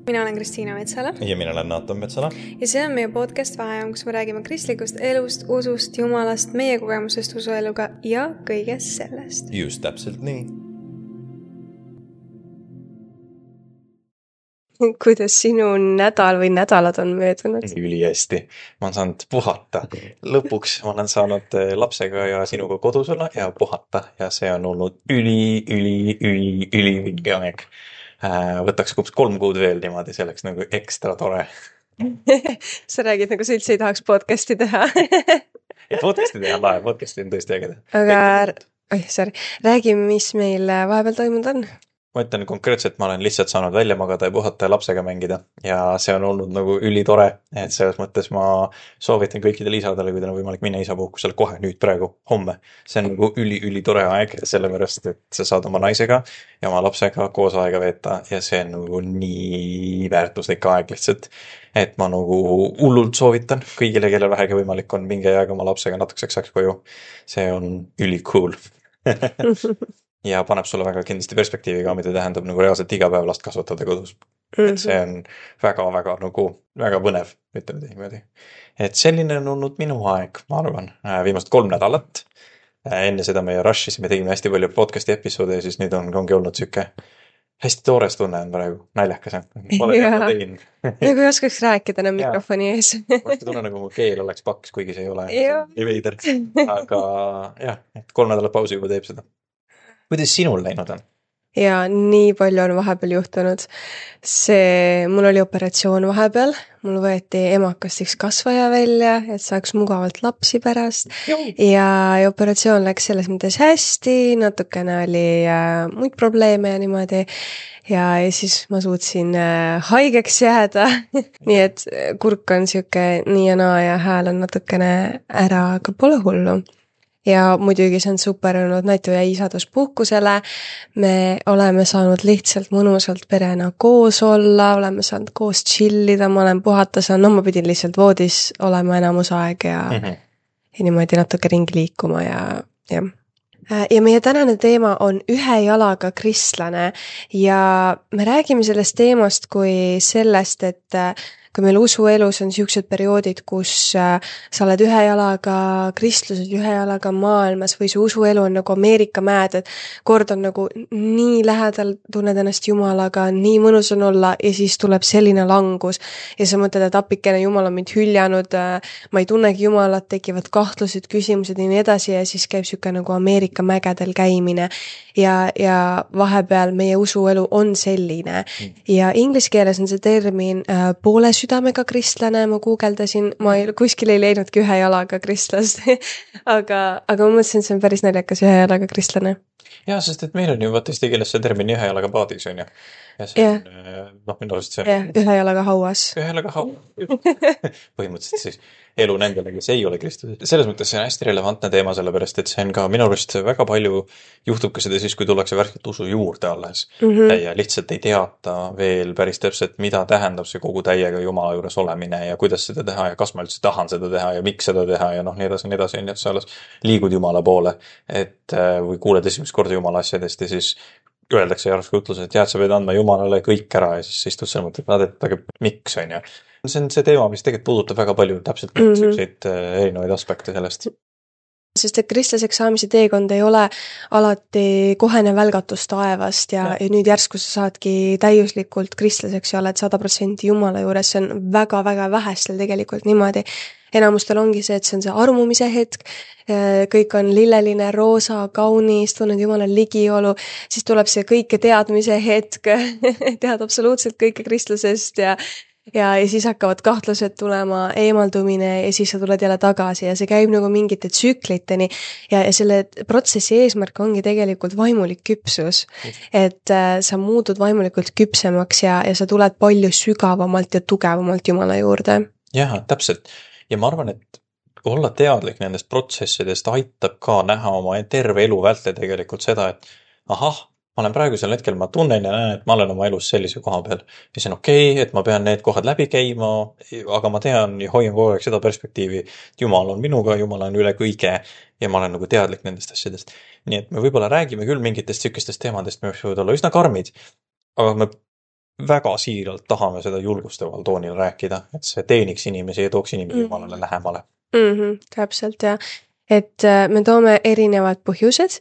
Mina olen Kristiina Metsala ja mina olen Naatan Metsala ja see on meie podcast Vaheajam, kus me räägime kristlikust elust, usust, jumalast, meie kogemusest usueluga ja kõigest sellest. Just täpselt nii. Kuidas sinu nädal või nädalad on möödunud? Ülihästi. Ma olen saanud puhata. Lõpuks ma olen saanud lapsega ja sinuga kodus olla ja puhata ja see on olnud ülivinge aeg. Võtaks 3 kuud veel niimoodi, see oleks nagu ekstra tore. Sa räägid nagu sa üldse ei tahaks podcasti teha. Podcasti teha lahe, podcasti on tõesti ägeda. Aga räägi, mis meil vahepeal toimunud on. Ma ütlen konkreetselt, ma olen lihtsalt saanud välja magada ja puhata ja lapsega mängida ja see on olnud nagu ülitore, et selles mõttes ma soovitan kõikidele isadele, kui teil on võimalik minna isapuhkusele kohe nüüd praegu, homme. See on nagu ülitore aeg, sellepärast, et sa saad oma naisega ja oma lapsega koos aega veeta ja see on nagu nii väärtuslik aeg lihtsalt, et ma nagu hullult soovitan kõigile, kellel vähegi võimalik on, minge jääga oma lapsega natukeseks ajaks koju. See on ülikool. Ja paneb sulle väga kindlasti perspektiivi ka, mida tähendab nagu reaalselt iga päev last kasvatada kodus. Et see on väga nagu väga põnev, ütleme niimoodi. Et selline on olnud minu aeg, ma arvan, viimast 3 nädalat. Enne seda meie rush'isime, tegime hästi palju podcasti episoode ja siis nüüd ongi olnud siuke hästi toores tunne on praegu, naljakas. Pole teada tegin. Nagu ei oskaks rääkida enam mikrofoni ees. Ma tunne nagu mu keel oleks paks, kuigi see ei ole nii veider. Aga jah, 3 nädalat pausi juba teeb seda. Kuidas sinul läinud on? Ja nii palju on vahepeal juhtunud. Mul oli operatsioon vahepeal. Mul võeti emakast üks kasvaja välja, et saaks mugavalt lapsi pärast. Ja operatsioon läks selles mõttes hästi, natukene oli muid probleeme ja niimoodi. Ja siis ma suutsin haigeks jääda. Nii et kurk on siuke nii ja naa ja hääl on natukene ära, aga pole hullu. Ja muidugi see on super olnud, Naitu jäi isaduspuhkusele. Me oleme saanud lihtsalt mõnusalt perena koos olla, oleme saanud koos chillida, ma olen puhata saanud, ma pidin lihtsalt voodis olema enamus aeg ja niimoodi natuke ringi liikuma ja. Ja meie tänane teema on ühe jalaga kristlane ja me räägime sellest teemast kui sellest, et kui meil usuelus on siuksed perioodid, kus sa oled ühe jalaga kristluses, ühe jalaga maailmas või see usuelu on nagu Ameerika mäed, et kord on nagu nii lähedal, tunned ennast Jumalaga, nii mõnus on olla ja siis tuleb selline langus ja sa mõtled, et appikene Jumal on mind hüljanud, ma ei tunnegi Jumalat, tekivad kahtlused, küsimused ja nii edasi ja siis käib siuke nagu Ameerika mägedel käimine ja vahepeal meie usuelu on selline ja inglise keeles on see termin poole südamega kristlane, ma guugeldasin, ma kuskil ei leidnudki ühe jalaga kristlast, aga ma mõtlesin, et see on päris naljakas ühe jalaga kristlane. Ja, sest et meil on ju vaata eesti keeles see termin ühe jalaga paadis, on ju. Ja see on, minu arust see on... ühe jalaga hauas. Ühe jalaga hauas. Põhimõtteliselt siis elu nendele, kes ei ole Kristus. Selles mõttes see on hästi relevantne teema, sellepärast, et see on ka minu arust väga palju juhtub ka seda siis, kui tullakse värskelt usu juurde alles. Ja lihtsalt ei teata veel päris täpselt, mida tähendab see kogu täiega Jumala juures olemine ja kuidas seda teha ja kas ma üldse tahan seda teha ja miks seda teha ja nii edasi, et sa alles liigud Jumala poole, et või kuuled esimest korda Jumala asjadest ja siis öeldakse järsku ütluses, et sa pead andma Jumalale kõik ära ja siis istud seal mõtled, aga miks on ju. See on see teema, mis tegelikult puudutab väga palju täpselt selliseid erinevaid aspekte sellest. Sest et kristlaseks saamise teekond ei ole alati kohene välgatus taevast ja nüüd järsku sa saadki täiuslikult kristlaseks ja oled 100% Jumala juures, see on väga-väga vähestel tegelikult niimoodi. Enamustel ongi see, et see on see armumise hetk, kõik on lilleline, roosa, kaunis, tunned Jumala ligiolu, siis tuleb see kõike teadmise hetk, tead absoluutselt kõike kristlasest ja siis hakkavad kahtlused tulema, eemaldumine ja siis sa tuled jälle tagasi ja see käib nagu mingite tsükliteni ja selle protsessi eesmärk ongi tegelikult vaimulik küpsus, et sa muudud vaimulikult küpsemaks ja sa tuled palju sügavamalt ja tugevamalt Jumala juurde. Jah, täpselt. Ja ma arvan, et olla teadlik nendest protsessidest aitab ka näha oma terve elu vältel tegelikult seda, et ahah, ma olen praegusel hetkel, ma tunnen ja näen, et ma olen oma elus sellise koha peal. Ja see on okei, et ma pean need kohad läbi käima, aga ma tean ja hoian kogu aeg seda perspektiivi, et Jumal on minuga, Jumal on üle kõige ja ma olen nagu teadlik nendest asjadest. Nii et me võib-olla räägime küll mingitest sükestest teemadest, mis võivad olla üsna karmid, aga me väga siiralt tahame seda julgustaval toonil rääkida, et see teeniks inimesi ja tooks inimesi Jumalale lähemale. Täpselt, jah. Et me toome erinevad põhjused,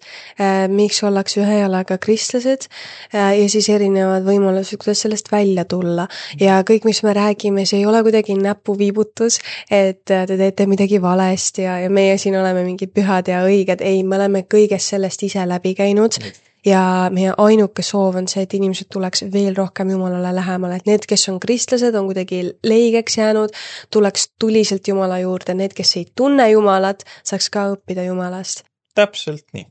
miks ollakse ühe jalaga kristlased ja siis erinevad võimalused, kuidas sellest välja tulla. Ja kõik, mis me räägime, see ei ole kuidagi näpuviibutus, et te teete midagi valesti ja meie siin oleme mingid pühad ja õiged. Ei, me oleme kõigest sellest ise läbi käinud. Ja meie ainuke soov on see, et inimesed tuleks veel rohkem Jumalale lähemale, et need, kes on kristlased, on kuidagi leigeks jäänud, tuleks tuliselt Jumala juurde, need, kes ei tunne Jumalat, saaks ka õppida Jumalast. Täpselt nii.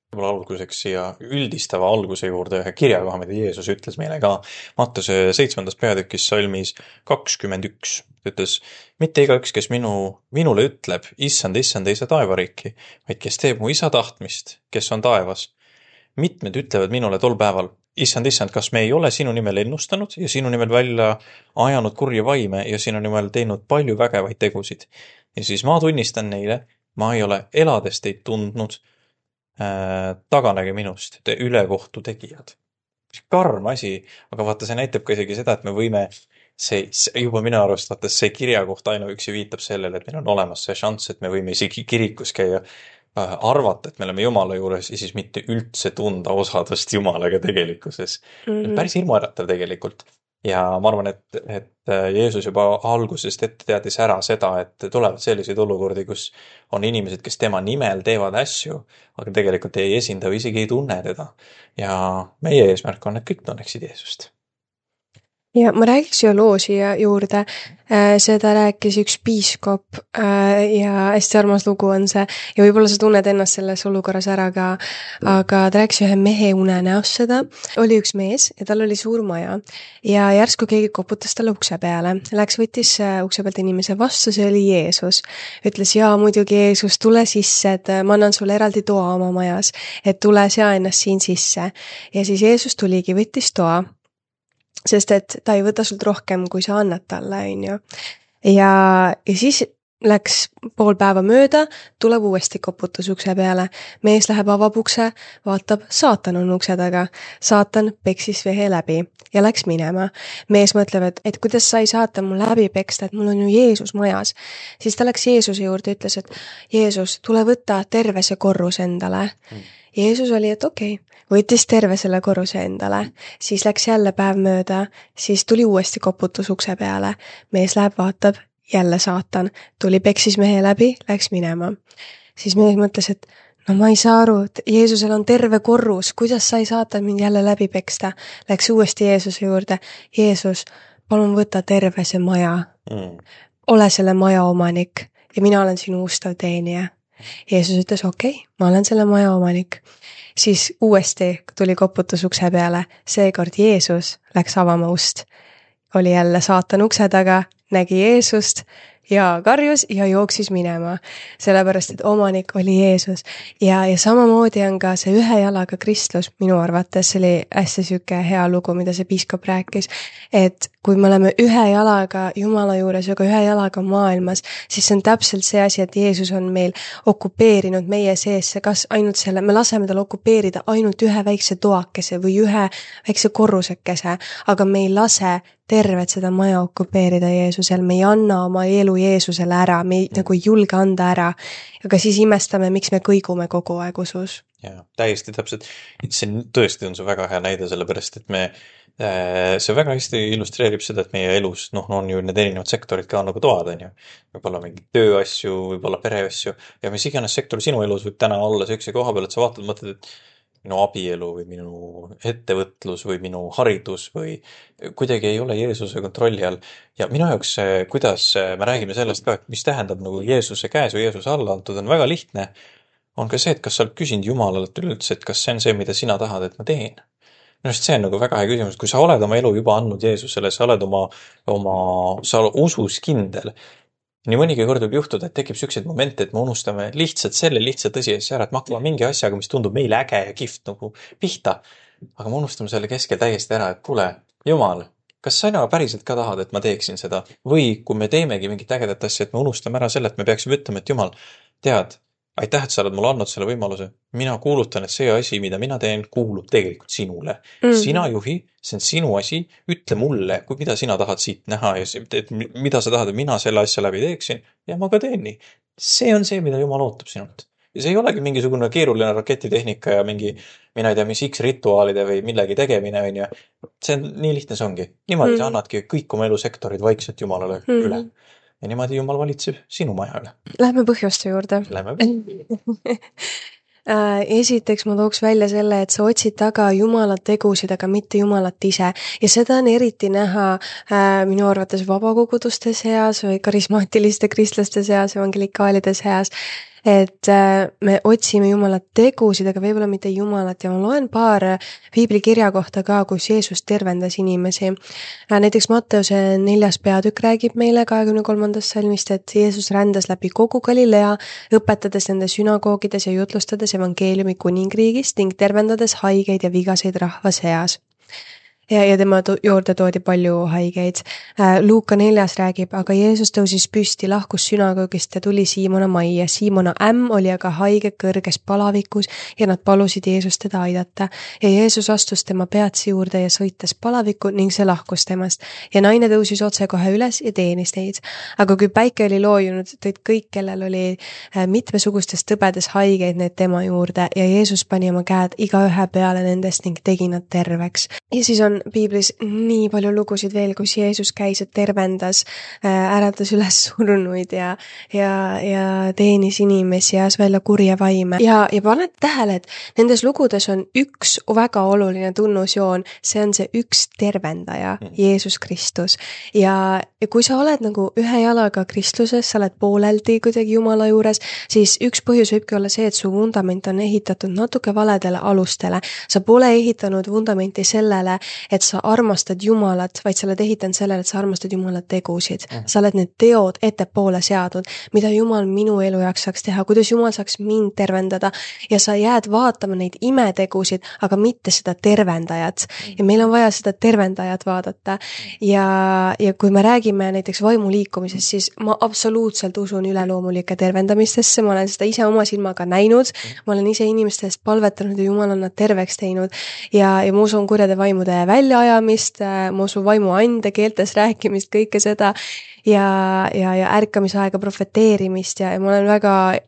Võib-olla alguseks siia üldistava alguse juurde ühe kirjakoha, mida Jeesus ütles meile ka Mattuse 7. peatükis salmis 21. Ütles, mitte igaüks, kes minule ütleb, issand, issand, ei saa taevariiki, vaid kes teeb mu isa tahtmist, kes on taevas. Mitmed ütlevad minule tol päeval, issand, issand, kas me ei ole sinu nimel ennustanud ja sinu nimel välja ajanud kurja vaime ja sinu nimel teinud palju vägevaid tegusid. Ja siis ma tunnistan neile, ma ei ole elades teid tundnud, taganege minust, te ülekohtu tegijad. Karm asi, aga vaata, see näitab ka isegi seda, et me võime see juba minu arust, vaata, see kirjakoht ainuüksi viitab sellele, et meil on olemas see šanss, et me võime isegi kirikus käia, arvata, et me oleme Jumala juures ja siis mitte üldse tunda osadust Jumalaga tegelikkuses. Päris hirmuäratav tegelikult. Ja ma arvan, et Jeesus juba algusest ette teadis ära seda, et tulevad selliseid olukordi, kus on inimesed, kes tema nimel teevad asju, aga tegelikult ei esinda või isegi ei tunne teda. Ja meie eesmärk on, et kõik tunneksid Jeesust. Ja ma räägiks ju loo siia juurde, seda rääkis üks piiskop ja hästi armas lugu on see ja võib-olla sa tunned ennast selles olukorras ära ka, aga ta rääkis ühe mehe unenäost seda. Oli üks mees ja tal oli suur maja ja järsku keegi koputas talle ukse peale. Läks võttis ukse pealt inimese vastu, see oli Jeesus. Ütles, jaa, muidugi Jeesus, tule sisse, et ma annan sulle eraldi toa oma majas, et tule sea ennast siin sisse. Ja siis Jeesus tuligi, võttis toa. Sest et ta ei võta sult rohkem, kui sa annad talle, on ju. Ja siis läks pool päeva mööda, tuleb uuesti koputus ukse peale. Mees läheb avab ukse, vaatab, saatan on ukse taga. Saatan peksis vehe läbi ja läks minema. Mees mõtleb, et kuidas sai saatan mul läbi peksta, et mul on ju Jeesus majas. Siis ta läks Jeesuse juurde ja ütles, et Jeesus, tule võtta terve see korrus endale. Jeesus oli, et okei. Võttis terve selle korruse endale, siis läks jälle päev mööda, siis tuli uuesti koputus ukse peale. Mees läheb vaatab, jälle saatan, tuli peksis mehe läbi, läks minema. Siis mees mõtles, et no ma ei saa aru, et Jeesusel on terve korrus, kuidas sai saatan mind jälle läbi peksta. Läks uuesti Jeesuse juurde. Jeesus, palun võta terve see maja. Ole selle maja omanik ja mina olen sinu ustav teenija. Jeesus ütles, okei, ma olen selle maja omanik. Siis uuesti tuli koputus ukse peale, seekord Jeesus läks avama ust. Oli jälle saatan ukse taga, nägi Jeesust ja karjus ja jooksis minema, sellepärast, et omanik oli Jeesus. Ja samamoodi on ka see ühe jalaga kristlus, minu arvates see oli hästi süke hea lugu, mida see piiskop rääkis, et kui me oleme ühe jalaga Jumala juures ja ka ühe jalaga maailmas, siis see on täpselt see asi, et Jeesus on meil okupeerinud meie sees, kas ainult selle, me laseme tal okupeerida ainult ühe väikse toakese või ühe väikse korrusekese, aga me ei lase tervet seda maja okupeerida Jeesusel, me ei anna oma elu Jeesusele ära, me ei nagu ei julge anda ära, aga siis imestame, miks me kõigume kogu aeg usus. Ja, täiesti täpselt. See tõesti on see väga hea näide, sellepärast, et see väga hästi illustreerib seda, et meie elus on ju need erinevad sektorid ka nagu toad, on ju. Võib-olla mingi tööasju, võib-olla pereasju ja mis iganes sektor sinu elus võib täna olla sellise koha peal, et sa vaatad, mõtled, et minu abielu või minu ettevõtlus või minu haridus või kuidagi ei ole Jeesuse kontrolli all. Ja minu jaoks, kuidas me räägime sellest ka, et mis tähendab nagu Jeesuse käes või Jeesuse alla antud, on väga lihtne. On ka see, et kas sa oled küsinud Jumalalt üleüldse, et kas see on see, mida sina tahad, et ma teen. Minu arust see on nagu väga hea küsimus, kui sa oled oma elu juba andnud Jeesusele, sa oled sa usus kindel. Nii mõnigi kord võib juhtuda, et tekib selliseid momente, et me unustame lihtsalt tõsiasja ära, et me hakkame mingi asjaga, mis tundub meile äge ja kihvt nagu pihta. Aga me unustame selle keskel täiesti ära, et kuule, Jumal, kas sa päriselt ka tahad, et ma teeksin seda? Või kui me teemegi mingit ägedat asja, et me unustame ära selle, et me peaksime ütlema, et Jumal, tead, aitäh, et sa oled mulle andnud selle võimaluse. Mina kuulutan, et see asi, mida mina teen, kuulub tegelikult sinule. Sina juhi, see on sinu asi, ütle mulle, mida sina tahad siit näha ja mida sa tahad, et mina selle asja läbi teeksin ja ma ka teen nii. See on see, mida Jumal ootab sinult. Ja see ei olegi mingisugune keeruline raketitehnika ja mingi, mina ei tea, mis X-rituaalide või millegi tegemine on ja see on nii lihtne, see ongi. Niimoodi sa annadki kõik oma elusektorid vaikselt Jumalale üle. Ja niimoodi Jumal valitseb sinu maja üle. Lähme põhjuste juurde. Esiteks ma tooks välja selle, et sa otsid taga Jumala tegusid, aga mitte Jumalat ise. Ja seda on eriti näha minu arvates vabakoguduste seas või karismaatiliste kristlaste seas, evangelikaalide seas, et me otsime Jumala tegusid, aga võib-olla mitte Jumalat ja ma loen paar piiblikirja kohta ka, kus Jeesus tervendas inimesi. Näiteks Matteuse 4. peatükk räägib meile 23. salmist, et Jeesus rändas läbi kogu Galilea, õpetades nende sünagoogides ja jutlustades evangeeliumi kuningriigist ning tervendades haigeid ja vigaseid rahva seas. Ja tema juurde toodi palju haigeid. Luuka 4. räägib, aga Jeesus tõusis püsti, lahkus sünagoogist ja tuli Siimona majja. Siimona ämm oli aga haige kõrges palavikus ja nad palusid Jeesust teda aidata. Ja Jeesus astus tema peatsi juurde ja sõites palavikku ning see lahkus temast. Ja naine tõusis otse kohe üles ja teenis neid. Aga kui päike oli loojunud, tõid kõik, kellel oli mitmesugustes tõbedes haigeid need tema juurde ja Jeesus pani oma käed igaühe peale nendest ning tegi nad terveks. Ja siis on piiblis nii palju lugusid veel, kus Jeesus käis ja tervendas, äratas üles surnuid ja teenis inimesi ja ajas välja kurje vaime. Ja paned tähele, et nendes lugudes on üks väga oluline tunnusjoon, see on see üks tervendaja, Jeesus Kristus. Ja kui sa oled nagu ühe jalaga kristluses, sa oled pooleldi kuidagi Jumala juures, siis üks põhjus võibki olla see, et su vundament on ehitatud natuke valedele alustele. Sa pole ehitanud vundamenti sellele, et sa armastad Jumalat, vaid sa oled ehitanud sellele, et sa armastad Jumala tegusid. Sa oled need teod ettepoole seadnud, mida Jumal minu elu jaoks saaks teha, kuidas Jumal saaks mind tervendada ja sa jääd vaatama neid imetegusid, aga mitte seda tervendajat. Ja meil on vaja seda tervendajat vaadata. Ja kui me räägime näiteks vaimuliikumisest, siis ma absoluutselt usun üleloomulike tervendamistesse, ma olen seda ise oma silmaga näinud, ma olen ise inimeste eest palvetanud ja Jumal on nad terveks teinud ja ma usun kurjade vaimude väljaajamist, ma usun vaimu ande, keeltes rääkimist, kõike seda ja ärkamisaega profeteerimist ja ma olen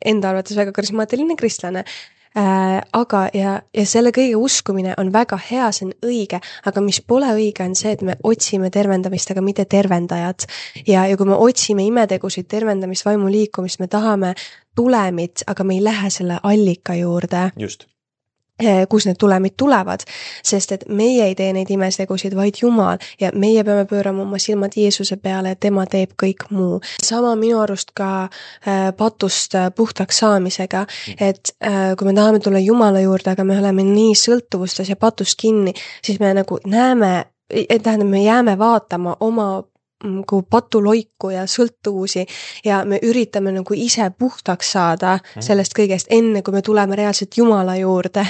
enda arvates väga karismaatiline kristlane. Aga selle kõige uskumine on väga hea, see on õige, aga mis pole õige on see, et me otsime tervendamist, aga mitte tervendajat. Ja kui me otsime imetegusid, tervendamist, vaimu liikumist, me tahame tulemit, aga me ei lähe selle allika juurde. Just. Kus need tulemid tulevad, sest et meie ei tee neid imetegusid, vaid Jumal ja meie peame pöörama oma silmad Jeesuse peale ja tema teeb kõik muu. Sama minu arust ka patust puhtaks saamisega, et kui me tahame tulla Jumala juurde, aga me oleme nii sõltuvustes ja patust kinni, siis me nagu me jääme vaatama oma patuloiku ja sõltuvusi ja me üritame nagu ise puhtaks saada sellest kõigest enne, kui me tuleme reaalselt Jumala juurde.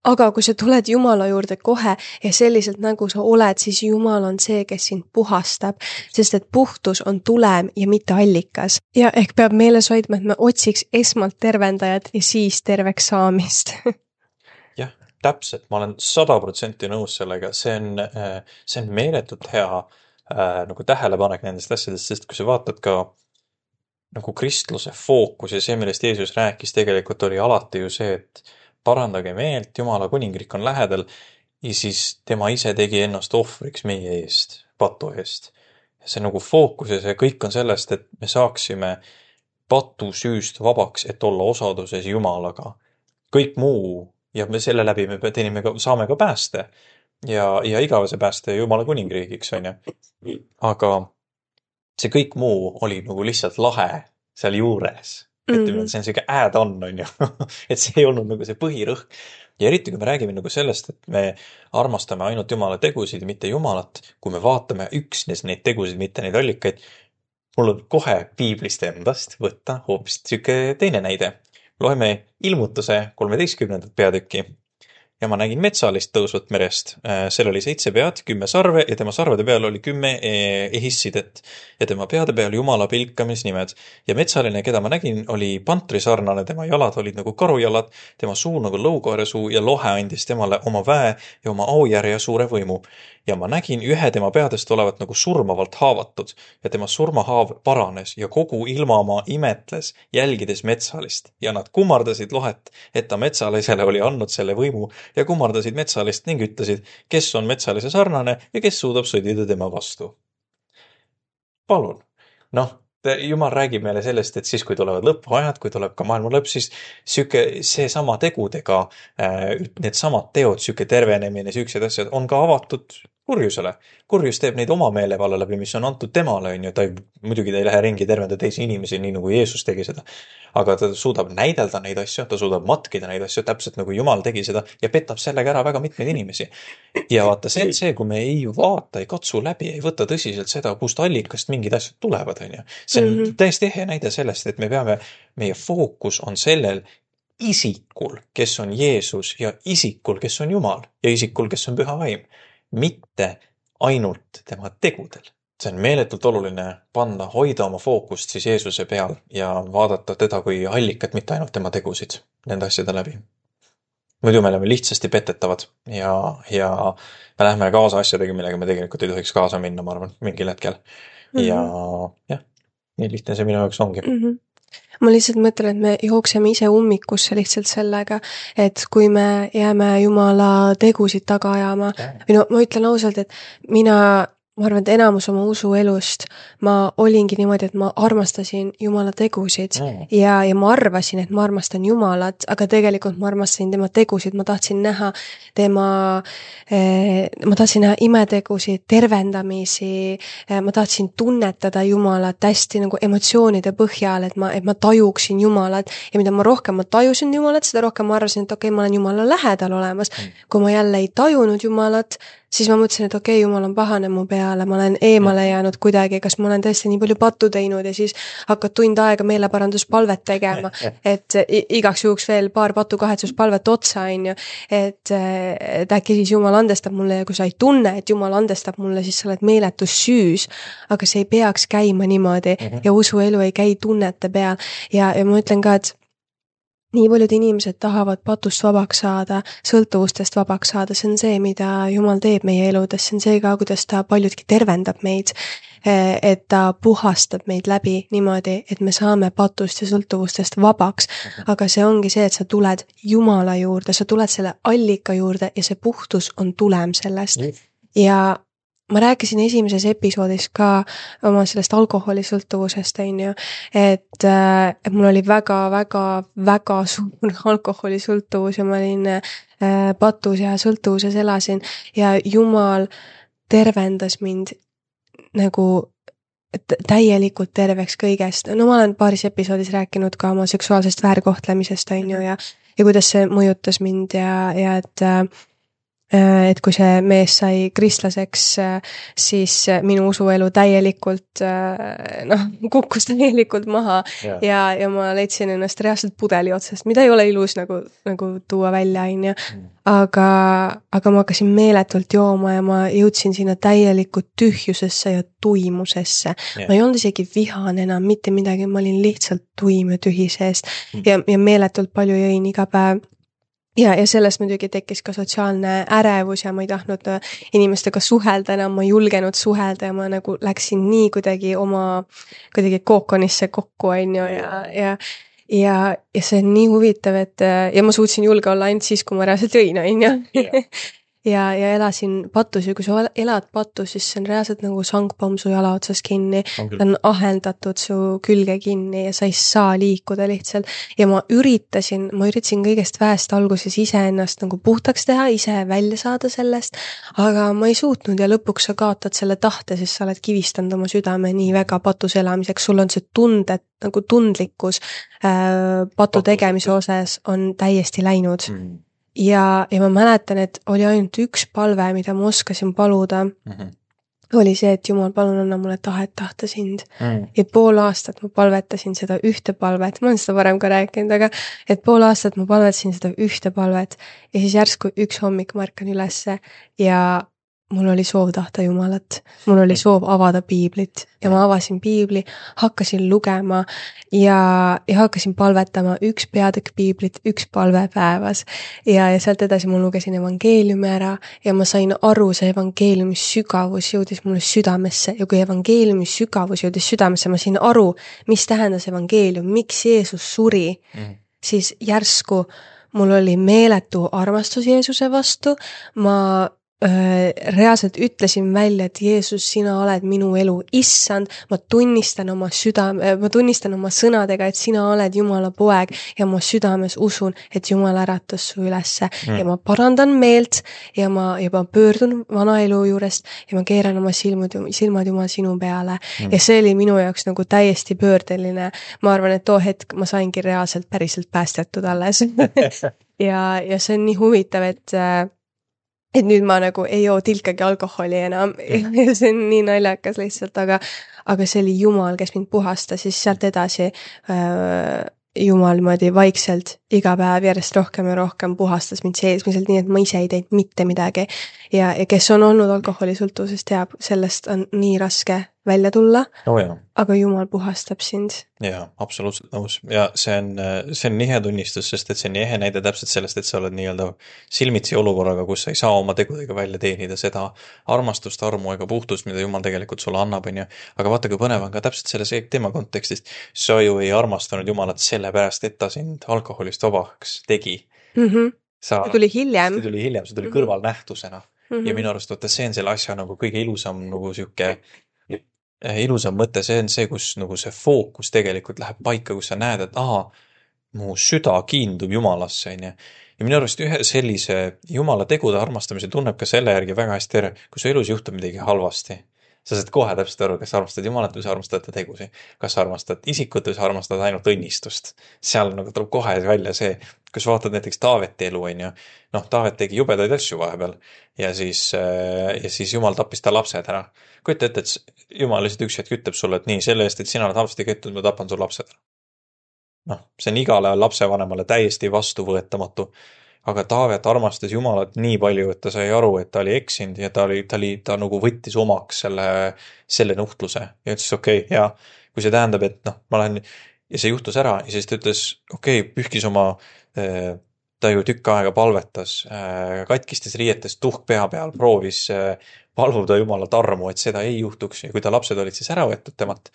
Aga kui sa tuled Jumala juurde kohe ja selliselt nagu sa oled, siis Jumal on see, kes sind puhastab, sest et puhtus on tulem ja mitte allikas. Ja ehk peab meeles hoidma, et me otsiks esmalt tervendajat ja siis terveks saamist. Jah, täpselt, ma olen 100% nõus sellega, see on meeletult hea nagu tähelepanek nendest asjadest, sest kui sa vaatad ka nagu kristluse fookus ja see, millest Jeesus rääkis, tegelikult oli alati ju see, et parandage meelt, Jumala kuningriik on lähedal ja siis tema ise tegi ennast ohvriks meie eest, patu eest. Ja see nagu fookus ja see kõik on sellest, et me saaksime patusüüst vabaks, et olla osaduses Jumalaga. Kõik muu ja me selle läbi saame ka pääste. Ja igavese pääste Jumala kuningriigiks on ju. Aga see kõik muu oli nagu lihtsalt lahe seal juures. Ütleme, et see on selline add-on on ju. Et see ei olnud nagu see põhirõhk. Ja eriti kui me räägime nagu sellest, et me armastame ainult Jumala tegusid ja mitte Jumalat, kui me vaatame üksnes neid tegusid, mitte neid allikaid, mul on kohe piiblist endast võtta hoopis teine näide. Loeme Ilmutuse 13. peatükki. ja ma nägin metsalist tõusvat merest. Seal oli 7 pead, 10 sarve ja tema sarvede peal oli 10 ehissidet ja tema peade peal Jumala pilkamisnimed. Ja metsaline, keda ma nägin, oli pantrisarnane, tema jalad olid nagu karujalad, tema suu nagu lõukoeresuu ja lohe andis temale oma väe ja oma aujärje ja suure võimu. Ja ma nägin ühe tema peadest olevat nagu surmavalt haavatud ja tema surmahaav paranes ja kogu ilmamaa imetles, jälgides metsalist ja nad kummardasid lohet, et ta metsalisele oli andnud selle võimu ja kummardasid metsalist ning ütlesid, kes on metsalise sarnane ja kes suudab sõdida tema vastu. Palun. Jumal räägib meile sellest, et siis, kui tulevad lõpuajad, kui tuleb ka maailma lõpp, siis see sama tegudega, need samad teod, süke tervenemine, süksed asjad on ka avatud kurjusele. Kurjus teeb neid oma meelevalla läbi, mis on antud temale, on ju. Muidugi ta ei lähe ringi tervenda teisi inimesi, nii nagu Jeesus tegi seda. Aga ta suudab näidelda neid asju, ta suudab matkida neid asju, täpselt nagu Jumal tegi seda ja petab sellega ära väga mitmeid inimesi. Ja vaata, see, kui me ei vaata, ei katsu läbi, ei võta tõsiselt seda, kust allikast mingid asjad tulevad, on ju. See on täiesti ehe näide sellest, et meie fookus on sellel isikul, kes on Jeesus ja isikul, kes on Jumal ja isikul, kes on Püha Vaim. Mitte ainult tema tegudel. See on meeletult oluline hoida oma fookust siis Jeesuse peal ja vaadata teda kui allikat, mitte ainult tema tegusid nende asjade läbi. Muidu me oleme lihtsasti petetavad ja me lähme kaasa asjadega, millega me tegelikult ei tohiks kaasa minna, ma arvan, mingil hetkel. Ja nii lihtne see minu jaoks ongi. Ma lihtsalt mõtlen, et me jookseme ise ummikusse lihtsalt sellega, et kui me jääme Jumala tegusid taga ajama, või ma ütlen ausalt, et ma arvan, et enamus oma usuelust ma olingi niimoodi, et ma armastasin Jumala tegusid ja ma arvasin, et ma armastan Jumalat, aga tegelikult ma armastasin tema tegusid, ma tahtsin näha imetegusid, tervendamisi, ma tahtsin tunnetada Jumalat hästi nagu emotsioonide põhjal, et ma tajuksin Jumalat ja mida ma rohkem ma tajusin Jumalat, seda rohkem ma arvasin, et okei, ma olen Jumala lähedal olemas. Kui ma jälle ei tajunud Jumalat, siis ma mõtlesin, et okei, Jumal on pahane mu peale, ma olen eemale jäänud kuidagi, kas ma olen tõesti nii palju pattu teinud ja siis hakkad tund aega meeleparanduspalvet tegema, et igaks juhuks veel paar patukahetsuspalvet otsa, on ju, et äkki siis Jumal andestab mulle ja kui sa ei tunne, et Jumal andestab mulle, siis sa oled meeletus süüs, aga see ei peaks käima niimoodi ja usuelu ei käi tunnete peal ja ma ütlen ka, et nii paljud inimesed tahavad patust vabaks saada, sõltuvustest vabaks saada, see on see, mida Jumal teeb meie eludes, see on see ka, kuidas ta paljudki tervendab meid, et ta puhastab meid läbi niimoodi, et me saame patust ja sõltuvustest vabaks, aga see ongi see, et sa tuled Jumala juurde, sa tuled selle allika juurde ja see puhtus on tulem sellest ja ma rääkisin esimeses episoodis ka oma sellest alkoholisõltuvusest, on ju, et mul oli väga suur alkoholisõltuvus ja ma olin patus ja sõltuvuses elasin ja Jumal tervendas mind nagu täielikult terveks kõigest. No ma olen paaris episoodis rääkinud ka oma seksuaalsest väärkohtlemisest, on ju, ja kuidas see mõjutas mind ja et kui see mees sai kristlaseks, siis minu usuelu täielikult kukkus täielikult maha ja ma leidsin ennast reaalselt pudeli otsast, mida ei ole ilus nagu tuua välja, on ju. Aga ma hakkasin meeletult jooma ja ma jõudsin sinna täielikult tühjusesse ja tuimusesse. Ma ei olnud isegi vihane enam mitte midagi, ma olin lihtsalt tuim ja tühi seest ja meeletult palju jõin iga päev. Ja sellest muidugi tekkis ka sotsiaalne ärevus ja ma ei tahtnud inimestega suhelda enam, ma ei julgenud suhelda ja ma nagu läksin nii kuidagi kookonisse kokku, on ju, ja see on nii huvitav, et ja ma suutsin julge olla ainult siis, kui ma reaalselt jõin, on ju. Ja elasin patus ja kui sa elad patus, siis see on reaalselt nagu sangpomm su jala otsas kinni, ta on aheldatud su külge kinni ja sa ei saa liikuda lihtsalt ja ma üritasin kõigest väest alguses ise ennast nagu puhtaks teha, ise välja saada sellest, aga ma ei suutnud ja lõpuks sa kaotad selle tahte, sest sa oled kivistanud oma südame nii väga patus elamiseks, sul on see nagu tundlikkus patu tegemise osas on täiesti läinud. Ja ma mäletan, et oli ainult üks palve, mida ma oskasin paluda oli see, et Jumal, palun anna mulle tahet tahta sind. Ja pool aastat ma palvetasin seda ühte palvet, ma olen seda varem ka rääkinud, aga et pool aastat ma palvetasin seda ühte palvet ja siis järsku üks hommik ma ärkan ülesse ja mul oli soov tahta Jumalat, mul oli soov avada piiblit ja ma avasin piibli, hakkasin lugema ja hakkasin palvetama üks peatükk piiblit, üks palve päevas ja sealt edasi ma lugesin evangeeliumi ära ja ma sain aru, see evangeeliumi sügavus jõudis mulle südamesse ja kui evangeeliumi sügavus jõudis südamesse, ma sain aru, mis tähendas evangeelium, miks Jeesus suri, siis järsku mul oli meeletu armastus Jeesuse vastu, ma reaalselt ütlesin välja, et Jeesus, sina oled minu elu issand, ma tunnistan oma sõnadega, et sina oled Jumala poeg ja ma südames usun, et Jumal äratas su ülesse ja ma parandan meelt ja ma pöördun vana elu juurest ja ma keeran oma silmad Jumal sinu peale ja see oli minu jaoks nagu täiesti pöördeline. Ma arvan, et too hetk ma saingi reaalselt päriselt päästetud alles ja see on nii huvitav, et nüüd ma nagu ei joo tilkagi alkoholi enam ja see on nii naljakas lihtsalt, aga see oli Jumal, kes mind puhastas, siis sealt edasi Jumal niimoodi vaikselt iga päev järjest rohkem ja rohkem puhastas mind seesmiselt, nii et ma ise ei teinud mitte midagi ja kes on olnud alkoholisõltuvuses teab, sellest on nii raske välja tulla, aga Jumal puhastab sind. Jaa, absoluutselt nõus. Ja see on nii hea tunnistus, sest et see on nii ehe näide täpselt sellest, et sa oled nii-öelda silmitsi olukorraga, kus sa ei saa oma tegudega välja teenida seda armastust, armu ega puhtust, mida Jumal tegelikult sulle annab, on ju. Aga vaata, kui põnev on ka täpselt selles teema kontekstist, sa ju ei armastanud Jumalat sellepärast, et ta sind alkoholist vabaks tegi. See tuli hiljem. See tuli kõrvalnähtusena. Ja minu arust, see on selle asja nagu kõige ilusam nagu siuke ilusam mõte, see on see, kus nagu see fookus tegelikult läheb paika, kus sa näed, et mu süda kiindub Jumalasse, on ju. Ja minu arust ühe sellise Jumala tegude armastamise tunneb ka selle järgi väga hästi ära, kui su elus juhtub midagi halvasti. Sa saad kohe täpselt aru, kas sa armastad Jumalat või sa armastad ta tegusi. Kas sa armastad isikut või sa armastad ainult õnnistust. Seal nagu tuleb kohe välja see, kus vaatad näiteks Taaveti elu, on ju. Taavet tegi jubedaid asju vahepeal ja siis Jumal tappis ta lapsed ära. Kujuta ette, et Jumal lihtsalt üks hetk ütleb sulle, et nii, selle eest, et sina oled halvasti käitunud, ma tapan sul lapsed ära. See on igale lapsevanemale täiesti vastuvõetamatu. Aga Taavet armastas Jumalat nii palju, et ta sai aru, et ta oli eksinud ja ta nagu võttis omaks selle nuhtluse ja ütles, okei, ja kui see tähendab, et ma lähen ja see juhtus ära ja siis ta ütles, pühkis oma, ta ju tükk aega palvetas, katkistes riietes tuhk pea peal, proovis paluda Jumalat armu, et seda ei juhtuks ja kui ta lapsed olid siis ära võetud temalt,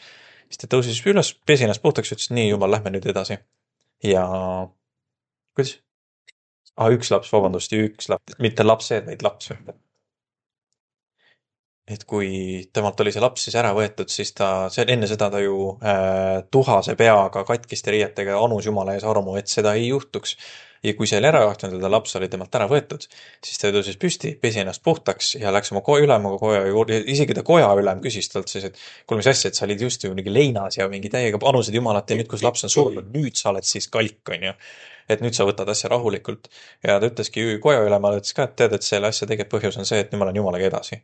siis ta tõusis üles, pesi ennast puhtaks ja ütles, nii Jumal, lähme nüüd edasi. Ja kuidas? Üks laps, mitte lapsed, vaid laps. Et kui temalt oli see laps siis ära võetud, siis enne seda ta ju tuhase peaga, katkiste riietega anus Jumala ees armu, et seda ei juhtuks. Ja kui see oli ära juhtunud, ta laps oli temalt ära võetud, siis ta tõusis püsti, pesi ennast puhtaks ja läks oma ülemaga koja juurde. Isegi ta koja ülem küsis talt siis, et kuule, mis asja, et sa olid just ju mingi leinas ja mingi täiega anusid Jumalat ja nüüd, kus laps on surnud, nüüd sa oled siis kalk, on ju. Et nüüd sa võtad asja rahulikult ja ta ütleski koja ülemale, ütles ka, et tead, et selle asja tegelikult põhjus on see, et nüüd ma olen Jumalaga edasi.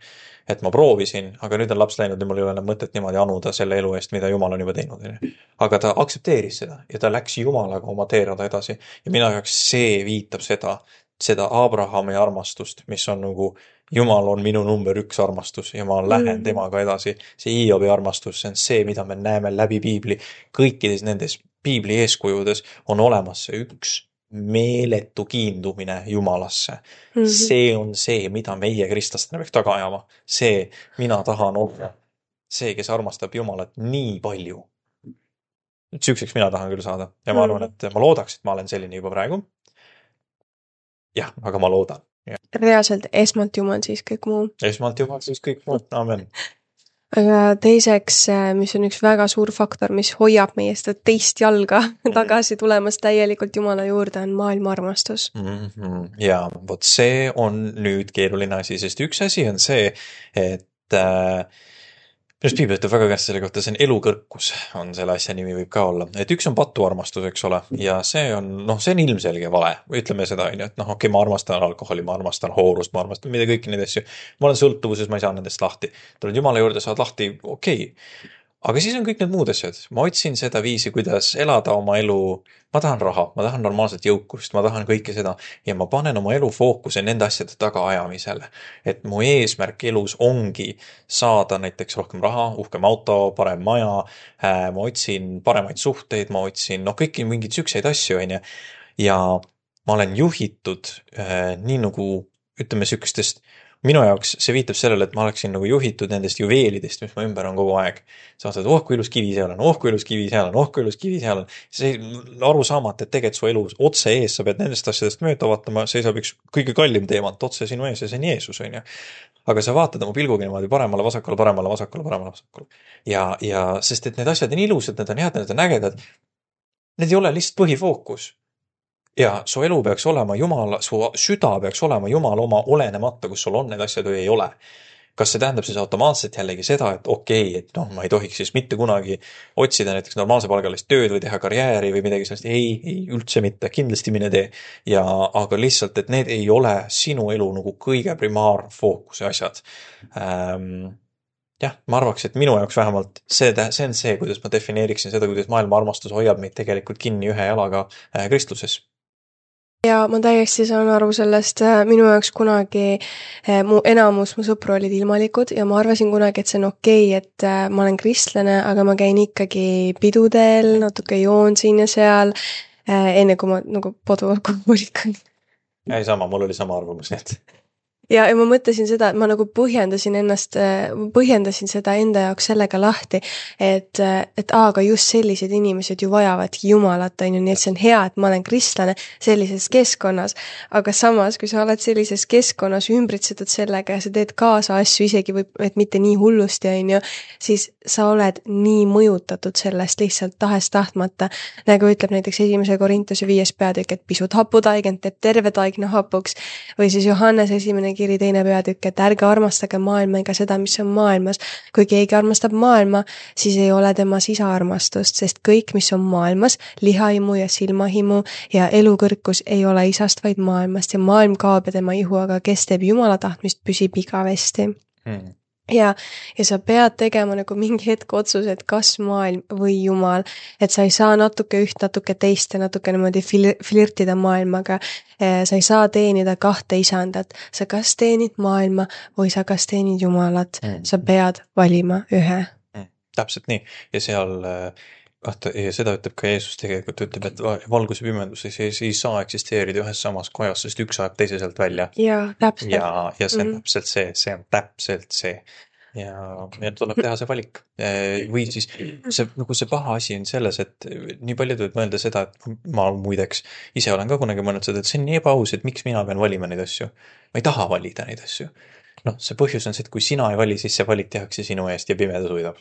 Et ma proovisin, aga nüüd on laps läinud ja mul ei ole enam mõtet niimoodi anuda selle elu eest, mida Jumal on juba teinud. Aga ta aktsepteeris seda ja ta läks Jumalaga oma teerada edasi. Ja minu jaoks see viitab seda Abrahami armastust, mis on nagu Jumal on minu number 1 armastus ja ma lähen temaga edasi. See Hiobi armastus, see on see, mida me näeme läbi piibli. Kõikides nendes piibli eeskujudes on olemas see üks meeletu kiindumine Jumalasse. See on see, mida meie kristlastena peaks taga ajama. See, mina tahan olla see, kes armastab Jumalat nii palju. Süükseks mina tahan küll saada. Ja ma arvan, et ma loodaks, et ma olen selline juba praegu. Jah, aga ma loodan. Ja. Reaalselt esmalt Jumal, siis kõik muu. Esmalt Jumal, siis kõik muu. Amen. Aga teiseks, mis on üks väga suur faktor, mis hoiab meie seda teist jalga tagasi tulemas täielikult Jumala juurde, on maailma armastus. Ja vot see on nüüd keeruline asi, sest üks asi on see, et just piibel ütleb väga käest selle kohta, see on elukõrkus, on selle asja nimi võib ka olla. Et üks on patuarmastus, eks ole, ja see on ilmselge vale. Ütleme seda, et okei, ma armastan alkoholi, ma armastan hoorust, ma armastan mida kõiki neid asju. Ma olen sõltuvuses, ma ei saa nendest lahti. Tuled Jumala juurde, saad lahti, okei. Aga siis on kõik need muud asjad. Ma otsin seda viisi, kuidas elada oma elu. Ma tahan raha, ma tahan normaalset jõukust, ma tahan kõike seda. Ja ma panen oma elu fookuse nende asjade tagaajamisele. Et mu eesmärk elus ongi saada näiteks rohkem raha, uhkem auto, parem maja. Ma otsin paremaid suhteid, ma otsin kõiki mingeid sükseid asju. Ja ma olen juhitud nii nagu, ütleme sükestest. Minu jaoks see viitab sellele, et ma oleksin nagu juhitud nendest juveelidest, mis ma ümber on kogu aeg. Sa vaatad, kui ilus kivi seal on, kui ilus kivi seal on, kui ilus kivi seal on. See aru saamata, et tegelikult su elu otse ees, sa pead nendest asjadest mööda vaatama, seisab üks kõige kallim teemant otse sinu ees ja see on Jeesus, on ju. Aga sa vaatad oma pilguga niimoodi paremale, vasakule. Ja sest et need asjad on ilusad, need on head, need on ägedad. Need ei ole lihtsalt põhifookus. Ja su elu peaks olema Jumala, su süda peaks olema Jumala oma olenemata, kus sul on need asjad või ei ole. Kas see tähendab siis automaatselt jällegi seda, et et ma ei tohiks siis mitte kunagi otsida näiteks normaalse palgalist tööd või teha karjääri või midagi sellest. Ei, üldse mitte, kindlasti mine tee. Aga lihtsalt, et need ei ole sinu elu nagu kõige primaarfookuse asjad. Jah, ma arvaks, et minu jaoks vähemalt see on see, kuidas ma defineeriksin seda, kuidas maailma armastus hoiab meid tegelikult kinni ühe jalaga kristluses. Ja ma täiesti saan aru sellest, minu jaoks kunagi mu sõpru olid ilmalikud ja ma arvasin kunagi, et see on okei, et ma olen kristlane, aga ma käin ikkagi pidudel, natuke joon siin ja seal, enne kui ma nagu podualkoholikan. Ei sama, mul oli sama arvamus, et... Ja ma mõtlesin seda, et ma nagu põhjendasin seda enda jaoks sellega lahti, et aga just sellised inimesed ju vajavadki Jumalat, nii et see on hea, et ma olen kristlane sellises keskkonnas, aga samas, kui sa oled sellises keskkonnas ümbritsetud sellega ja sa teed kaasa asju isegi või et mitte nii hullusti, siis sa oled nii mõjutatud sellest lihtsalt tahes-tahtmata, nagu ütleb näiteks 1. Korintuse 5. peatükk, et pisut haputaigent teeb terve taigna hapuks, või siis Johannes 1. kiri 2. peatükk, et ärge armastage maailma ega seda, mis on maailmas. Kui keegi armastab maailma, siis ei ole tema sisaarmastust, sest kõik, mis on maailmas, lihahimu ja silmahimu ja elukõrkus ei ole isast, vaid maailmast ja maailm kaob ja tema ihu, aga kes teeb Jumala tahtmist, püsib igavesti. Ja sa pead tegema nagu mingi hetk otsuse, et kas maailm või Jumal, et sa ei saa natuke üht, natuke teist ja natuke niimoodi flirtida maailmaga. Sa ei saa teenida kahte isandat. Sa kas teenid maailma või sa kas teenid Jumalat. Sa pead valima ühe. Täpselt nii. Ja seal... Ja seda ütleb ka Jeesus tegelikult, ütleb, et valgus ja pimendus ei saa eksisteerida ühes samas kojas, sest üks ajab teise sealt välja. Ja, täpselt. Ja see on täpselt see on täpselt see. Ja tuleb teha see valik. Või siis see paha asi on selles, et nii paljud võid mõelda seda, et ma muideks ise olen ka kunagi mõelnud seda, et see on nii ebaaus, et miks mina pean valima neid asju. Ma ei taha valida neid asju. See põhjus on see, et kui sina ei vali, siis see valik tehakse sinu eest ja pimedus võidab.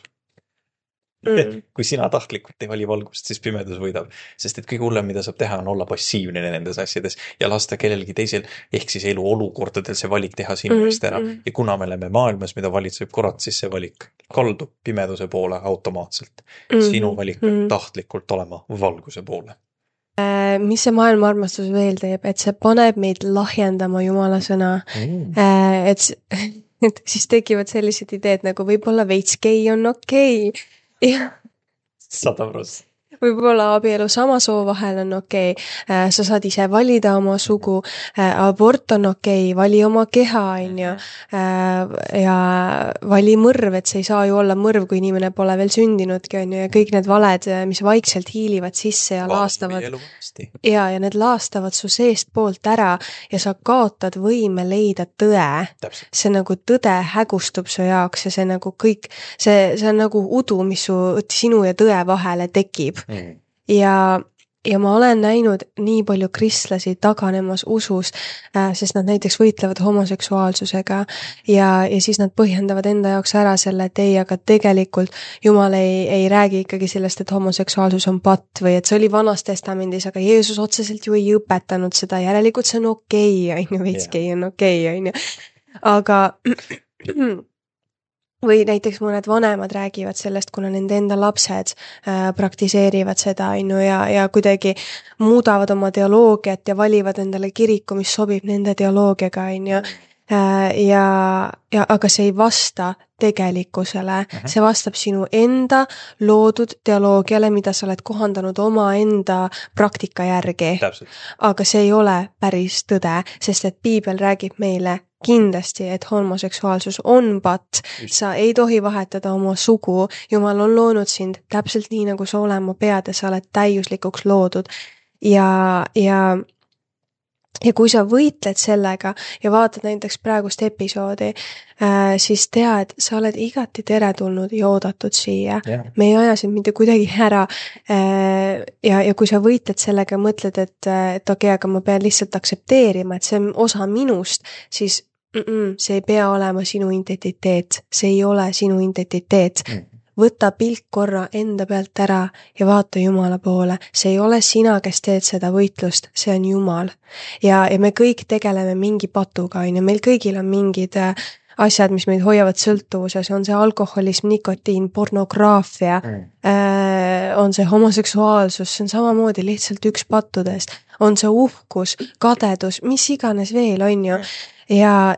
Kui sina tahtlikult ei vali valgust, siis pimedus võidab. Sest et kõige hullem, mida saab teha, on olla passiivne nendes asjades ja lasta kellelgi teisel, ehk siis elu olukordadel see valik teha sinu eest ära. Ja kuna me oleme maailmas, mida valitseb kurat, siis see valik kaldub pimeduse poole automaatselt. Sinu valik peab tahtlikult olema valguse poole. Mis see maailma armastus veel teeb, et see paneb meid lahjendama Jumala sõna. Et siis tekivad sellised ideed, nagu võib-olla veits gei on okei. 100%. Võib-olla abielu sama soo vahel on okei. Sa saad ise valida oma sugu, abort on okei, vali oma keha, ja vali mõrv, et see ei saa ju olla mõrv, kui inimene pole veel sündinudki, ja kõik need valed, mis vaikselt hiilivad sisse ja laastavad. Ja need laastavad su seest poolt ära ja sa kaotad võime leida tõe. See nagu tõde hägustub su jaoks ja see nagu kõik, see on nagu udu, mis sinu ja tõe vahele tekib. Ja ma olen näinud nii palju kristlasi taganemas usus, sest nad näiteks võitlevad homoseksuaalsusega ja siis nad põhjendavad enda jaoks ära selle, et ei, aga tegelikult Jumal ei räägi ikkagi sellest, et homoseksuaalsus on patt või et see oli Vanas Testamendis, aga Jeesus otseselt ju ei õpetanud seda, järelikult see on okei, veitskei on okei, aga või näiteks mõned vanemad räägivad sellest, kuna nende enda lapsed praktiseerivad seda, ja kuidagi muudavad oma teoloogiat ja valivad endale kiriku, mis sobib nende teoloogiaga, aga see ei vasta tegelikkusele, see vastab sinu enda loodud teoloogiale, mida sa oled kohandanud oma enda praktika järgi. Täpselt. Aga see ei ole päris tõde, sest et Piibel räägib meile kindlasti, et homoseksuaalsus on patt, sa ei tohi vahetada oma sugu, Jumal on loonud sind täpselt nii, nagu sa olema pead ja sa oled täiuslikuks loodud. Ja kui sa võitled sellega ja vaatad näiteks praegust episoodi, siis tea, et sa oled igati teretulnud ja oodatud siia. Yeah. Me ei aja sind mitte kuidagi ära. Ja kui sa võitled sellega ja mõtled, et okei, aga ma pean lihtsalt aksepteerima, et see on osa minust, siis see ei pea olema sinu identiteet. See ei ole sinu identiteet. Võta pilk korra enda pealt ära ja vaata Jumala poole. See ei ole sina, kes teed seda võitlust, see on Jumal. Ja me kõik tegeleme mingi patuga, ja meil kõigil on mingid asjad, mis meid hoiavad sõltuvuses, on see alkoholism, nikotiin, pornograafia, on see homoseksuaalsus, see on samamoodi lihtsalt üks pattudest, on see uhkus, kadedus, mis iganes veel on ju. Ja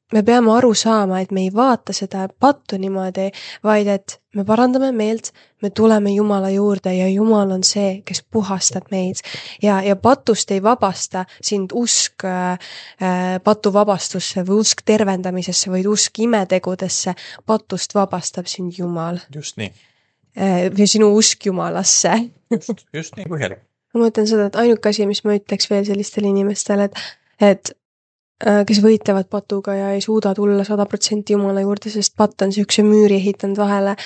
me peame aru saama, et me ei vaata seda pattu niimoodi, vaid et me parandame meelt, me tuleme Jumala juurde ja Jumal on see, kes puhastab meid. Ja patust ei vabasta sind usk patuvabastusse või usk tervendamisesse, vaid usk imetegudesse. Patust vabastab sind Jumal. Just nii. Või sinu usk Jumalasse. Just nii põhjalik. Ma mõtlen seda, et ainuke asi, mis ma ütleks veel sellistele inimestele, et kes võitlevad patuga ja ei suuda tulla 100% Jumala juurde, sest patt on siukse müüri ehitanud vahele,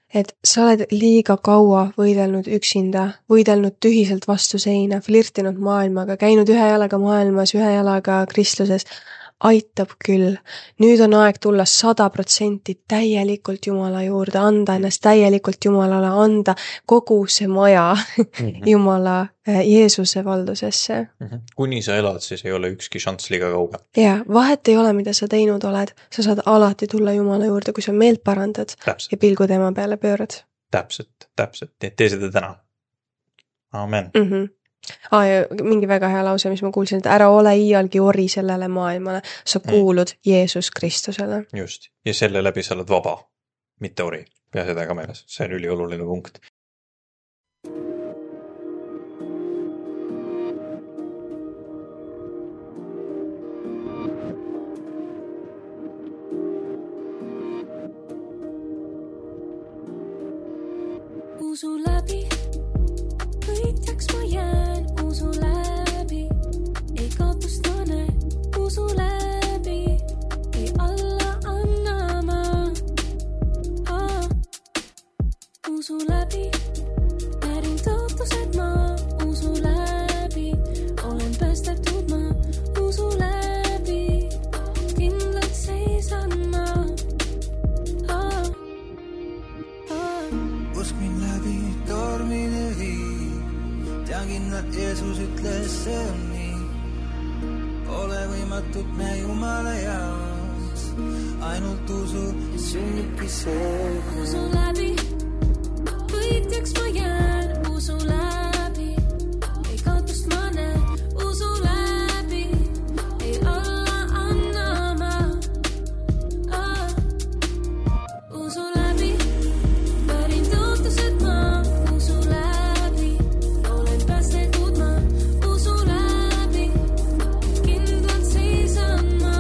et sa oled liiga kaua võidelnud üksinda, võidelnud tühiselt vastu seina, flirtinud maailmaga, käinud ühe jalaga maailmas, ühe jalaga kristluses. Aitab küll. Nüüd on aeg tulla 100% täielikult Jumala juurde, anda ennast täielikult Jumalale, anda kogu see maja Jumala Jeesuse valdusesse. Kuni sa elad, siis ei ole ükski šanss liiga kauge. Ja, vahet ei ole, mida sa teinud oled. Sa saad alati tulla Jumala juurde, kui sa meelt parandad ja pilgu tema peale pöörad. Täpselt. Tee seda täna. Amen. Ja mingi väga hea lause, mis ma kuulsin, et ära ole iialgi ori sellele maailmale, sa kuulud Jeesus Kristusele. Just, ja selle läbi sa oled vaba, mitte ori. Pea seda ka meeles, see on ülioluline punkt. Usu läbi, võitjaks ma jään, usu läbi, ei kaotust ma näen, usu läbi, ei alla anna ma. Usu läbi, pärin tõotused ma, usu läbi, olen päästetud ma, usu läbi, kindlalt seisan ma. Usk mind läbi tormine viib, tean kindlalt Jeesus ütles see on nii. Ole võimatut me Jumala jaoks, ainult usu sünnibki see. Usu läbi, võitjaks ma jään, usu läbi, ei kaotust ma näen, usu läbi, ei alla anna ma. Usu läbi, pärin tõotused ma, usu läbi, olen päästetud ma, usu läbi, kindlalt seisan ma.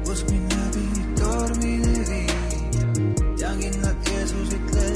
Usk mind läbi tormine viib, tean kindlalt Jeesus ütles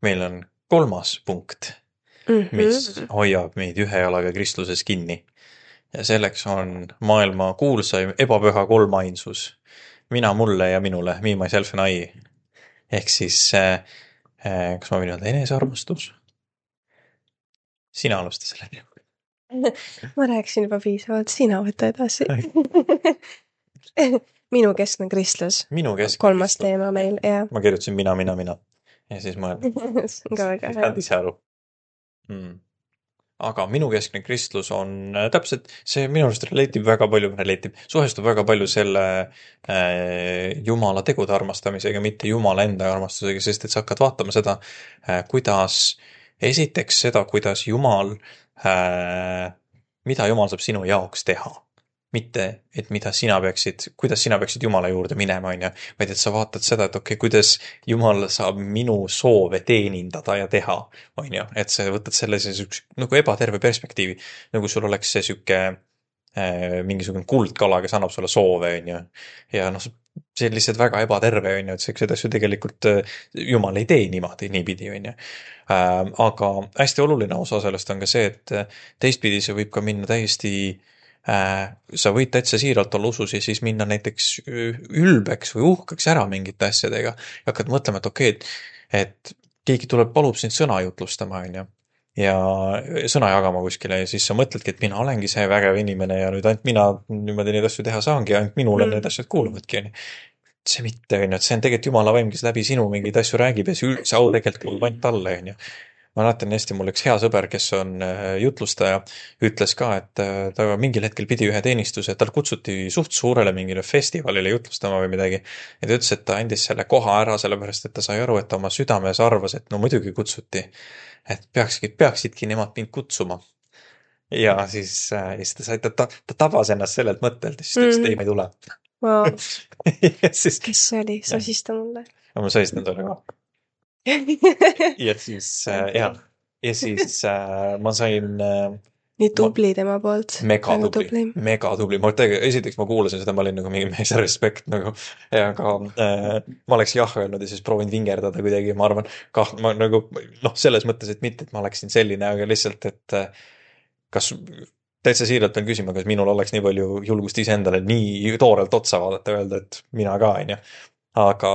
meil on 3. punkt, mis hoiab meid ühe jalaga kristluses kinni. Ja selleks on maailma kuulsaim ebapüha kolmainsus. Mina mulle ja minule, me, myself and I. Ehk siis, kas ma võin öelda enesearmastus? Sina alusta selle. Ma rääkisin juba piisavalt, sina võta edasi. Minu keskne kristlus. Minu keskne 3. kristlus. teema meil, jah. Ma kirjutasin mina. Ja siis mõelda. See on ka väga hea. Saad ise aru. Aga minu keskne kristlus on täpselt, see minu arust suhestub väga palju selle Jumala tegude armastamisega, mitte Jumala enda armastusega, sest et sa hakkad vaatama seda, kuidas Jumal, mida Jumal saab sinu jaoks teha. Mitte, et kuidas sina peaksid Jumala juurde minema, vaid et sa vaatad seda, et kuidas Jumal saab minu soove teenindada ja teha, et sa võtad selle nagu ebaterve perspektiivi, nagu sul oleks see mingisugune kuldkala, kes annab sulle soove, ja see on lihtsalt väga ebaterve, et seda asju tegelikult Jumal ei tee niipidi, aga hästi oluline osa sellest on ka see, et teistpidi see võib ka minna täiesti sa võid täitsa siiralt olla usus ja siis minna näiteks ülbeks või uhkeks ära mingite asjadega ja hakkad mõtlema, et okei, et keegi palub sind sõna jutlustama, ja sõna jagama kuskile ja siis sa mõtledki, et mina olengi see vägev inimene ja nüüd ainult mina niimoodi neid asju teha saangi ja ainult minule need asjad kuuluvadki, see mitte, et see on tegelikult Jumala vaim, kes läbi sinu mingeid asju räägib ja see üldse au tegelikult kuulub ainult talle, Ma mäletan hästi, mul üks hea sõber, kes on jutlustaja, ütles ka, et ta mingil hetkel pidi ühe teenistuse, tal kutsuti suht suurele mingile festivalile jutlustama või midagi. Ja ta ütles, et ta andis selle koha ära, sellepärast, et ta sai aru, et ta oma südames arvas, et no muidugi kutsuti, et peaksidki nemad mind kutsuma. Ja siis ta tabas ennast sellelt mõttelt, ja siis ta ütles, et ei, ma ei tule. Wow. Siis, kes see oli? Sasista mulle. Ja ma sasistan sulle ka. Ja siis, ma sain nii tubli tema poolt. Mega tubli. Esiteks ma kuulasin seda, ma olin nagu mingi mees respekt nagu, aga ma oleks jah öelnud ja siis proovin vingerdada kuidagi, ma arvan, selles mõttes, et mitte, et ma oleksin selline, aga lihtsalt, et kas täitsa siiralt pean küsima, kas minul oleks nii palju julgust iseendale nii toorelt otsa vaadata ja öelda, et mina ka, aga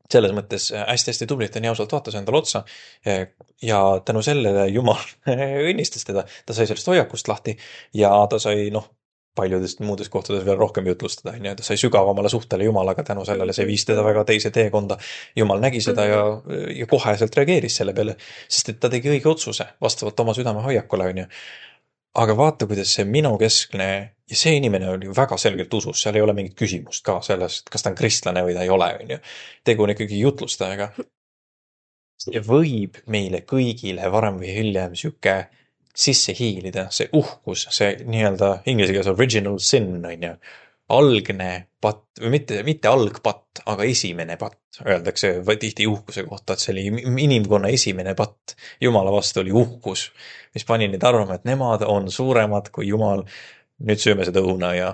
selles mõttes hästi tublit ja nii ausalt vaatas endale otsa ja tänu sellele Jumal õnnistas teda. Ta sai sellest hoiakust lahti ja ta sai paljudest muudest kohtades veel rohkem jutlustada. Ta sai sügavamale suhtele Jumalaga tänu sellele, see viis teda väga teise teekonda. Jumal nägi seda ja koheselt reageeris selle peale, sest et ta tegi õige otsuse vastavalt oma südame hoiakule. Aga vaata, kuidas see minu keskne ja see inimene oli väga selgelt usus, seal ei ole mingit küsimust ka sellest, kas ta on kristlane või ta ei ole. Tegu on ikkagi jutlustajaga. See võib meile kõigile varem või hiljem siuke sisse hiilida, see uhkus, see nii-öelda inglise keeles original sin, algne patt, või mitte algpatt, aga esimene patt, öeldakse tihti uhkuse kohta, et see oli inimkonna esimene patt. Jumala vastu oli uhkus, mis pani neid arvama, et nemad on suuremad kui Jumal. Nüüd sööme seda õuna ja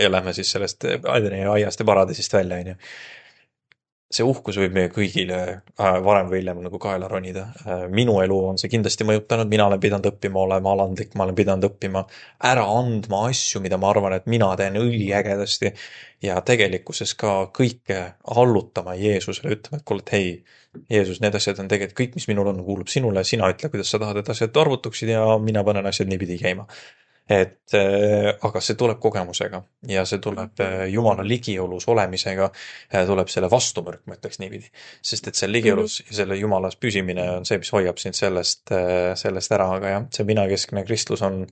lähme siis sellest aiast ja paradisist välja. See uhkus võib meie kõigile varem või hiljem nagu kaela ronida. Minu elu on see kindlasti mõjutanud, mina olen pidanud õppima olema alandlik, ma olen pidanud õppima ära andma asju, mida ma arvan, et mina teen üliägedasti ja tegelikkuses ka kõike allutama Jeesusele, ütlema, et kuule, et hei, Jeesus, need asjad on tegelikult kõik, mis minul on, kuulub sinule, sina ütle, kuidas sa tahad, et asjad arvutuksid ja mina panen asjad niipidi käima. Aga see tuleb kogemusega ja see tuleb Jumala ligiolus olemisega, tuleb selle vastumõrk, ma ütleks niipidi. Sest et see ligiolus ja selle Jumalas püsimine on see, mis hoiab sind sellest ära, aga jah, see minakeskne kristlus on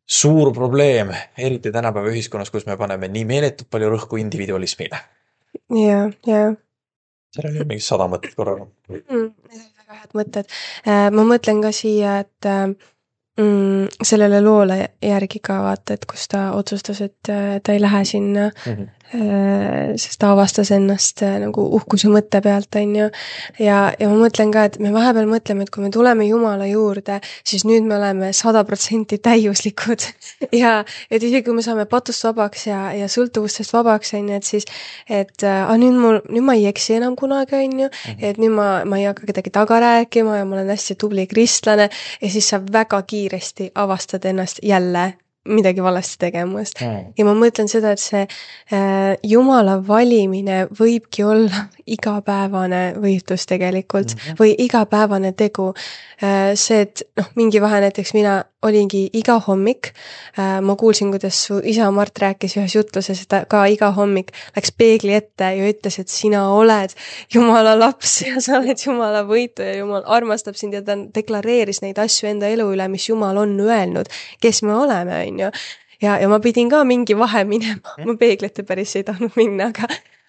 suur probleem, eriti tänapäeva ühiskonnas, kus me paneme nii meeletult palju rõhku individualismile. Ja. Seal oli mingi 100 mõtted korraga. Väga head mõtted. Ma mõtlen ka siia, et sellele loole järgi ka vaata, et kus ta otsustas, et ta ei lähe sinna sest ta avastas ennast nagu uhkuse mõtte pealt, on ju. Ja ma mõtlen ka, et me vahepeal mõtleme, et kui me tuleme Jumala juurde, siis nüüd me oleme 100% täiuslikud. Ja et isegi kui me saame patust vabaks ja sõltuvustest vabaks, on ju, et siis, et nüüd ma ei eksi enam kunagi, on ju, et nüüd ma ei hakka kedagi taga rääkima ja ma olen hästi tubli kristlane ja siis sa väga kiiresti avastad ennast jälle midagi valesti tegemast. Ja ma mõtlen seda, et see Jumala valimine võibki olla igapäevane võitlus tegelikult või igapäevane tegu. See, et mingi vahe näiteks mina olingi iga hommik, ma kuulsin, kuidas su isa Mart rääkis ühes jutluses, et ka iga hommik läks peegli ette ja ütles, et sina oled Jumala laps ja sa oled Jumala võitu ja Jumal armastab sind ja ta deklareeris neid asju enda elu üle, mis Jumal on öelnud, kes me oleme, on ju. Ja ma pidin ka mingi vahe minema, ma peeglite päris ei tahtnud minna,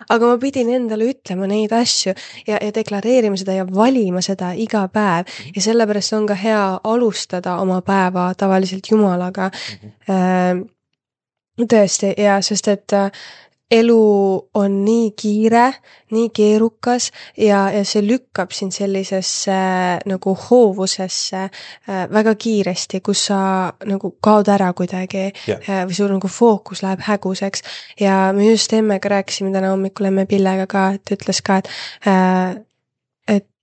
aga ma pidin endale ütlema neid asju ja deklareerima seda ja valima seda iga päev ja sellepärast on ka hea alustada oma päeva tavaliselt Jumalaga. Tõesti, ja sest et elu on nii kiire, nii keerukas ja see lükkab sind sellisesse nagu hoovusesse väga kiiresti, kus sa nagu kaod ära kuidagi või sul nagu fookus läheb häguseks. Ja me just Emmega rääkisime täna hommikul Emme Pillega ka, et ütles ka,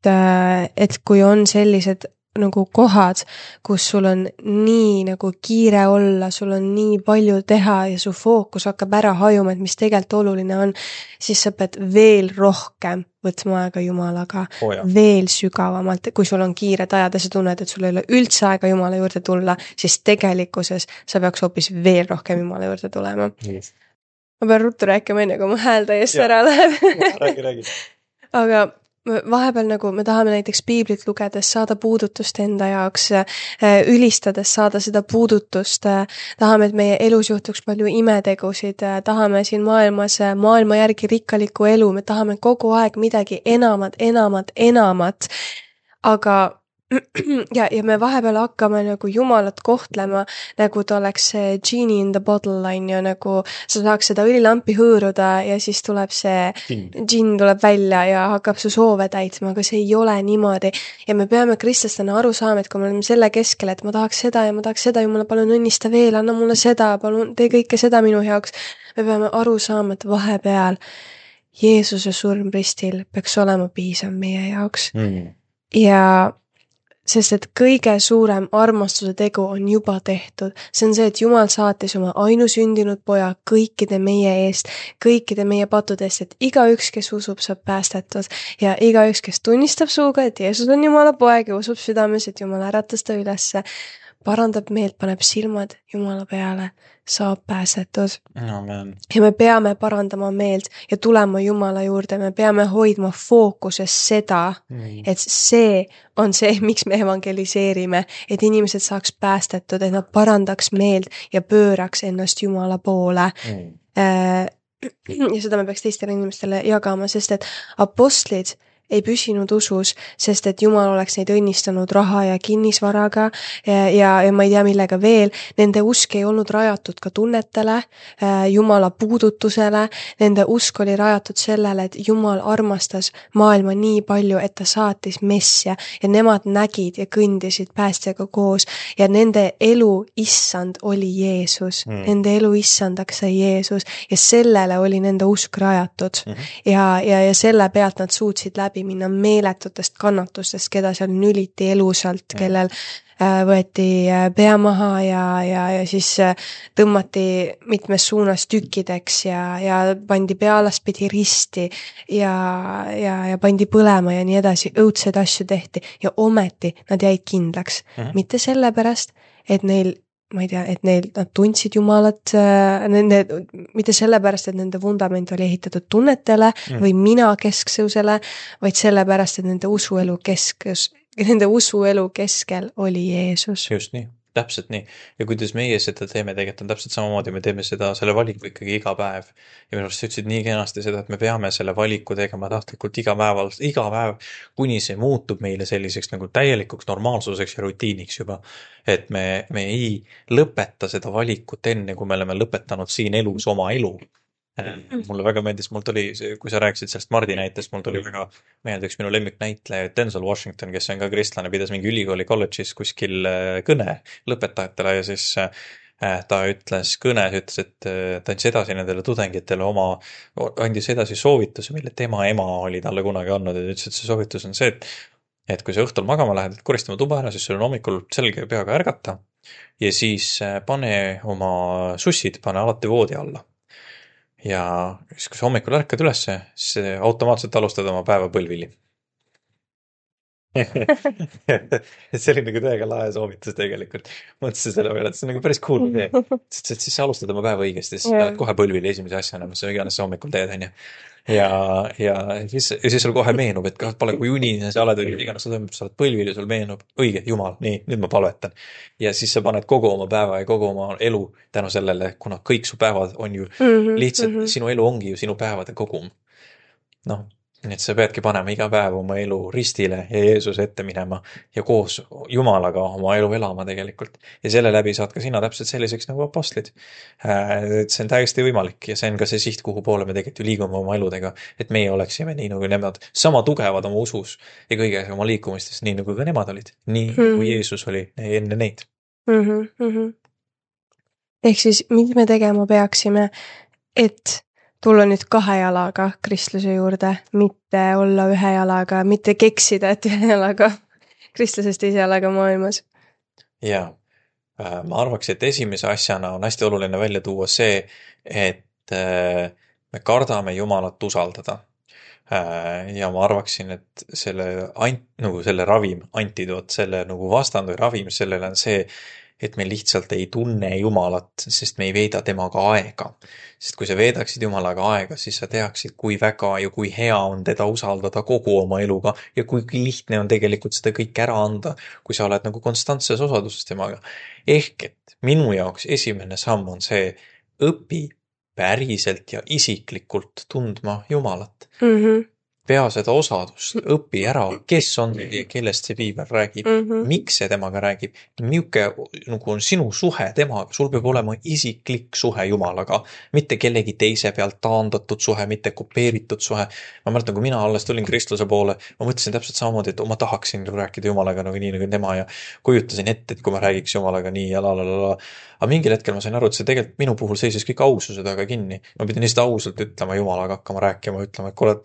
et kui on sellised nagu kohad, kus sul on nii nagu kiire olla, sul on nii palju teha ja su fookus hakkab ära hajuma, et mis tegelikult oluline on, siis sa pead veel rohkem võtma aega Jumalaga, veel sügavamalt, kui sul on kiired ajad ja sa tunned, et sul ei ole üldse aega Jumala juurde tulla, siis tegelikkuses sa peaks hoopis veel rohkem Jumala juurde tulema. Ma pean ruttu rääkima enne, kui mu hääl täiesti ära läheb. Räägi. Aga vahepeal nagu me tahame näiteks piiblit lugedes saada puudutust enda jaoks, ülistades saada seda puudutust, tahame, et meie elus juhtuks palju imetegusid, tahame siin maailmas maailma järgi rikkalikku elu, me tahame kogu aeg midagi enamat, aga ja me vahepeal hakkame nagu Jumalat kohtlema, nagu ta oleks see genie in the bottle, on ju, nagu sa saaks seda õlilampi hõõruda ja siis tuleb see džinn tuleb välja ja hakkab su soove täitma, aga see ei ole niimoodi. Ja me peame kristlastena aru saama, et kui me oleme selle keskel, et ma tahaks seda, Jumala, palun õnnista veel, anna mulle seda, palun tee kõike seda minu jaoks. Me peame aru saama, et vahepeal Jeesuse surm ristil peaks olema piisav meie jaoks. Ja sest et kõige suurem armastuse tegu on juba tehtud. See on see, et Jumal saatis oma ainusündinud poja kõikide meie eest, kõikide meie pattude eest, et igaüks, kes usub, saab päästetud ja igaüks, kes tunnistab suuga, et Jeesus on Jumala poeg ja usub südames, et Jumal äratas ta ülesse, parandab meelt, paneb silmad Jumala peale, saab pääsetud. Amen. Ja me peame parandama meelt ja tulema Jumala juurde, me peame hoidma fookuses seda, et see on see, miks me evangeliseerime, et inimesed saaks päästetud, et nad parandaks meelt ja pööraks ennast Jumala poole. Ja seda me peaks teistele inimestele jagama, sest et apostlid ei püsinud usus, sest et Jumal oleks neid õnnistanud raha ja kinnisvaraga ja ma ei tea millega veel. Nende usk ei olnud rajatud ka tunnetele, Jumala puudutusele. Nende usk oli rajatud sellele, et Jumal armastas maailma nii palju, et ta saatis messia ja nemad nägid ja kõndisid päästjaga koos ja nende elu issand oli Jeesus. Nende elu issandaks sai Jeesus ja sellele oli nende usk rajatud ja selle pealt nad suutsid läbi minna meeletutest kannatustest, keda seal nüliti elusalt, kellel võeti pea maha ja siis tõmmati mitmes suunas tükkideks ja pandi pealaspidi risti ja pandi põlema ja nii edasi, õudseid asju tehti ja ometi nad jäid kindlaks. Mitte sellepärast, et neil ma ei tea, et nad tundsid Jumalat, mitte sellepärast, et nende vundament oli ehitatud tunnetele või mina kesksusele, vaid sellepärast, et nende usuelu keskel oli Jeesus. Just nii, täpselt nii. Ja kuidas meie seda teeme, tegelikult on täpselt samamoodi, me teeme seda, selle valiku ikkagi iga päev. Ja minu arust sa ütlesid nii kenasti seda, et me peame selle valiku tegema tahtlikult iga päev, kuni see muutub meile selliseks nagu täielikuks normaalsuseks ja rutiiniks juba. Et me ei lõpeta seda valikut enne, kui me oleme lõpetanud siin elus oma elu. Mulle väga meeldis, mul tuli, kui sa rääkisid sellest Mardi näitest, mul tuli väga meelde üks minu lemmiknäitleja Denzel Washington, kes on ka kristlane, pidas mingi ülikooli kolledžis kuskil kõne lõpetajatele ja siis ta ütles kõnes, ütles, et ta andis edasi nendele tudengitele andis edasi soovituse, mille tema ema oli talle kunagi andnud ja ütles, et see soovitus on see, et kui sa õhtul magama lähed, et koristama tuba ära, siis sul on hommikul selge peaga ärgata ja siis pane oma sussid, pane alati voodi alla. Ja siis, kui sa hommikul ärkad ülesse, siis automaatselt alustad oma päeva põlvili. et see oli nagu täiega lahe soovitus tegelikult. Mõtlesin selle peale, et see on nagu päris cool idee. Sest siis sa alustad oma päeva õigesti, siis lähed kohe põlvili esimese asjana, mis sa iganes sa hommikul teed, on ju. Ja siis sul kohe meenub, et pole kui unine sa oled, iganes sa toimub, sa oled põlvil ja sul meenub, õige, jumal, nii, nüüd ma palvetan. Ja siis sa paned kogu oma päeva ja kogu oma elu tänu sellele, kuna kõik su päevad on ju lihtsalt, sinu elu ongi ju sinu päevade kogum. Noh, nii et sa peadki panema iga päev oma elu ristile ja Jeesuse ette minema ja koos Jumalaga oma elu elama tegelikult. Ja selle läbi saad ka sina täpselt selliseks nagu apostlid. Et see on täiesti võimalik ja see on ka see siht, kuhu poole me tegelikult ju liigume oma eludega, et meie oleksime nii nagu nemad sama tugevad oma usus ja kõiges oma liikumistes, nii nagu ka nemad olid. Nii kui Jeesus oli enne neid. Ehk siis, mida me tegema peaksime, et tulla nüüd 2 jalaga kristluse juurde, mitte olla 1 jalaga, mitte keksida, et 1 jalaga kristlusest 2 jalaga maailmas. Ja ma arvaks, et esimese asjana on hästi oluline välja tuua see, et me kardame Jumalat usaldada. Ja ma arvaksin, et selle ravim, antidoot, selle nagu vastand või ravim sellele on see, et me lihtsalt ei tunne Jumalat, sest me ei veeda temaga aega. Sest kui sa veedaksid Jumalaga aega, siis sa teaksid, kui väga ja kui hea on teda usaldada kogu oma eluga ja kui lihtne on tegelikult seda kõik ära anda, kui sa oled nagu konstantses osaduses temaga. Ehk et minu jaoks esimene samm on see, õpi päriselt ja isiklikult tundma Jumalat. Pea seda osadust, õpi ära, kes on ja kellest see piibel räägib, miks see temaga räägib, milline nagu on sinu suhe temaga, sul peab olema isiklik suhe Jumalaga, mitte kellegi teise pealt taandatud suhe, mitte kopeeritud suhe. Ma mäletan, kui mina alles tulin kristluse poole, ma mõtlesin täpselt samamoodi, et ma tahaksin rääkida Jumalaga nagu nii nagu tema ja kujutasin ette, et kui ma räägiks Jumalaga nii ja la. Aga mingil hetkel ma sain aru, et see tegelikult minu puhul seisis kõik aususe taga kinni. Ma pidin lihtsalt ausalt ütlema Jumalaga, hakkama rääkima, ütlema, et kuule,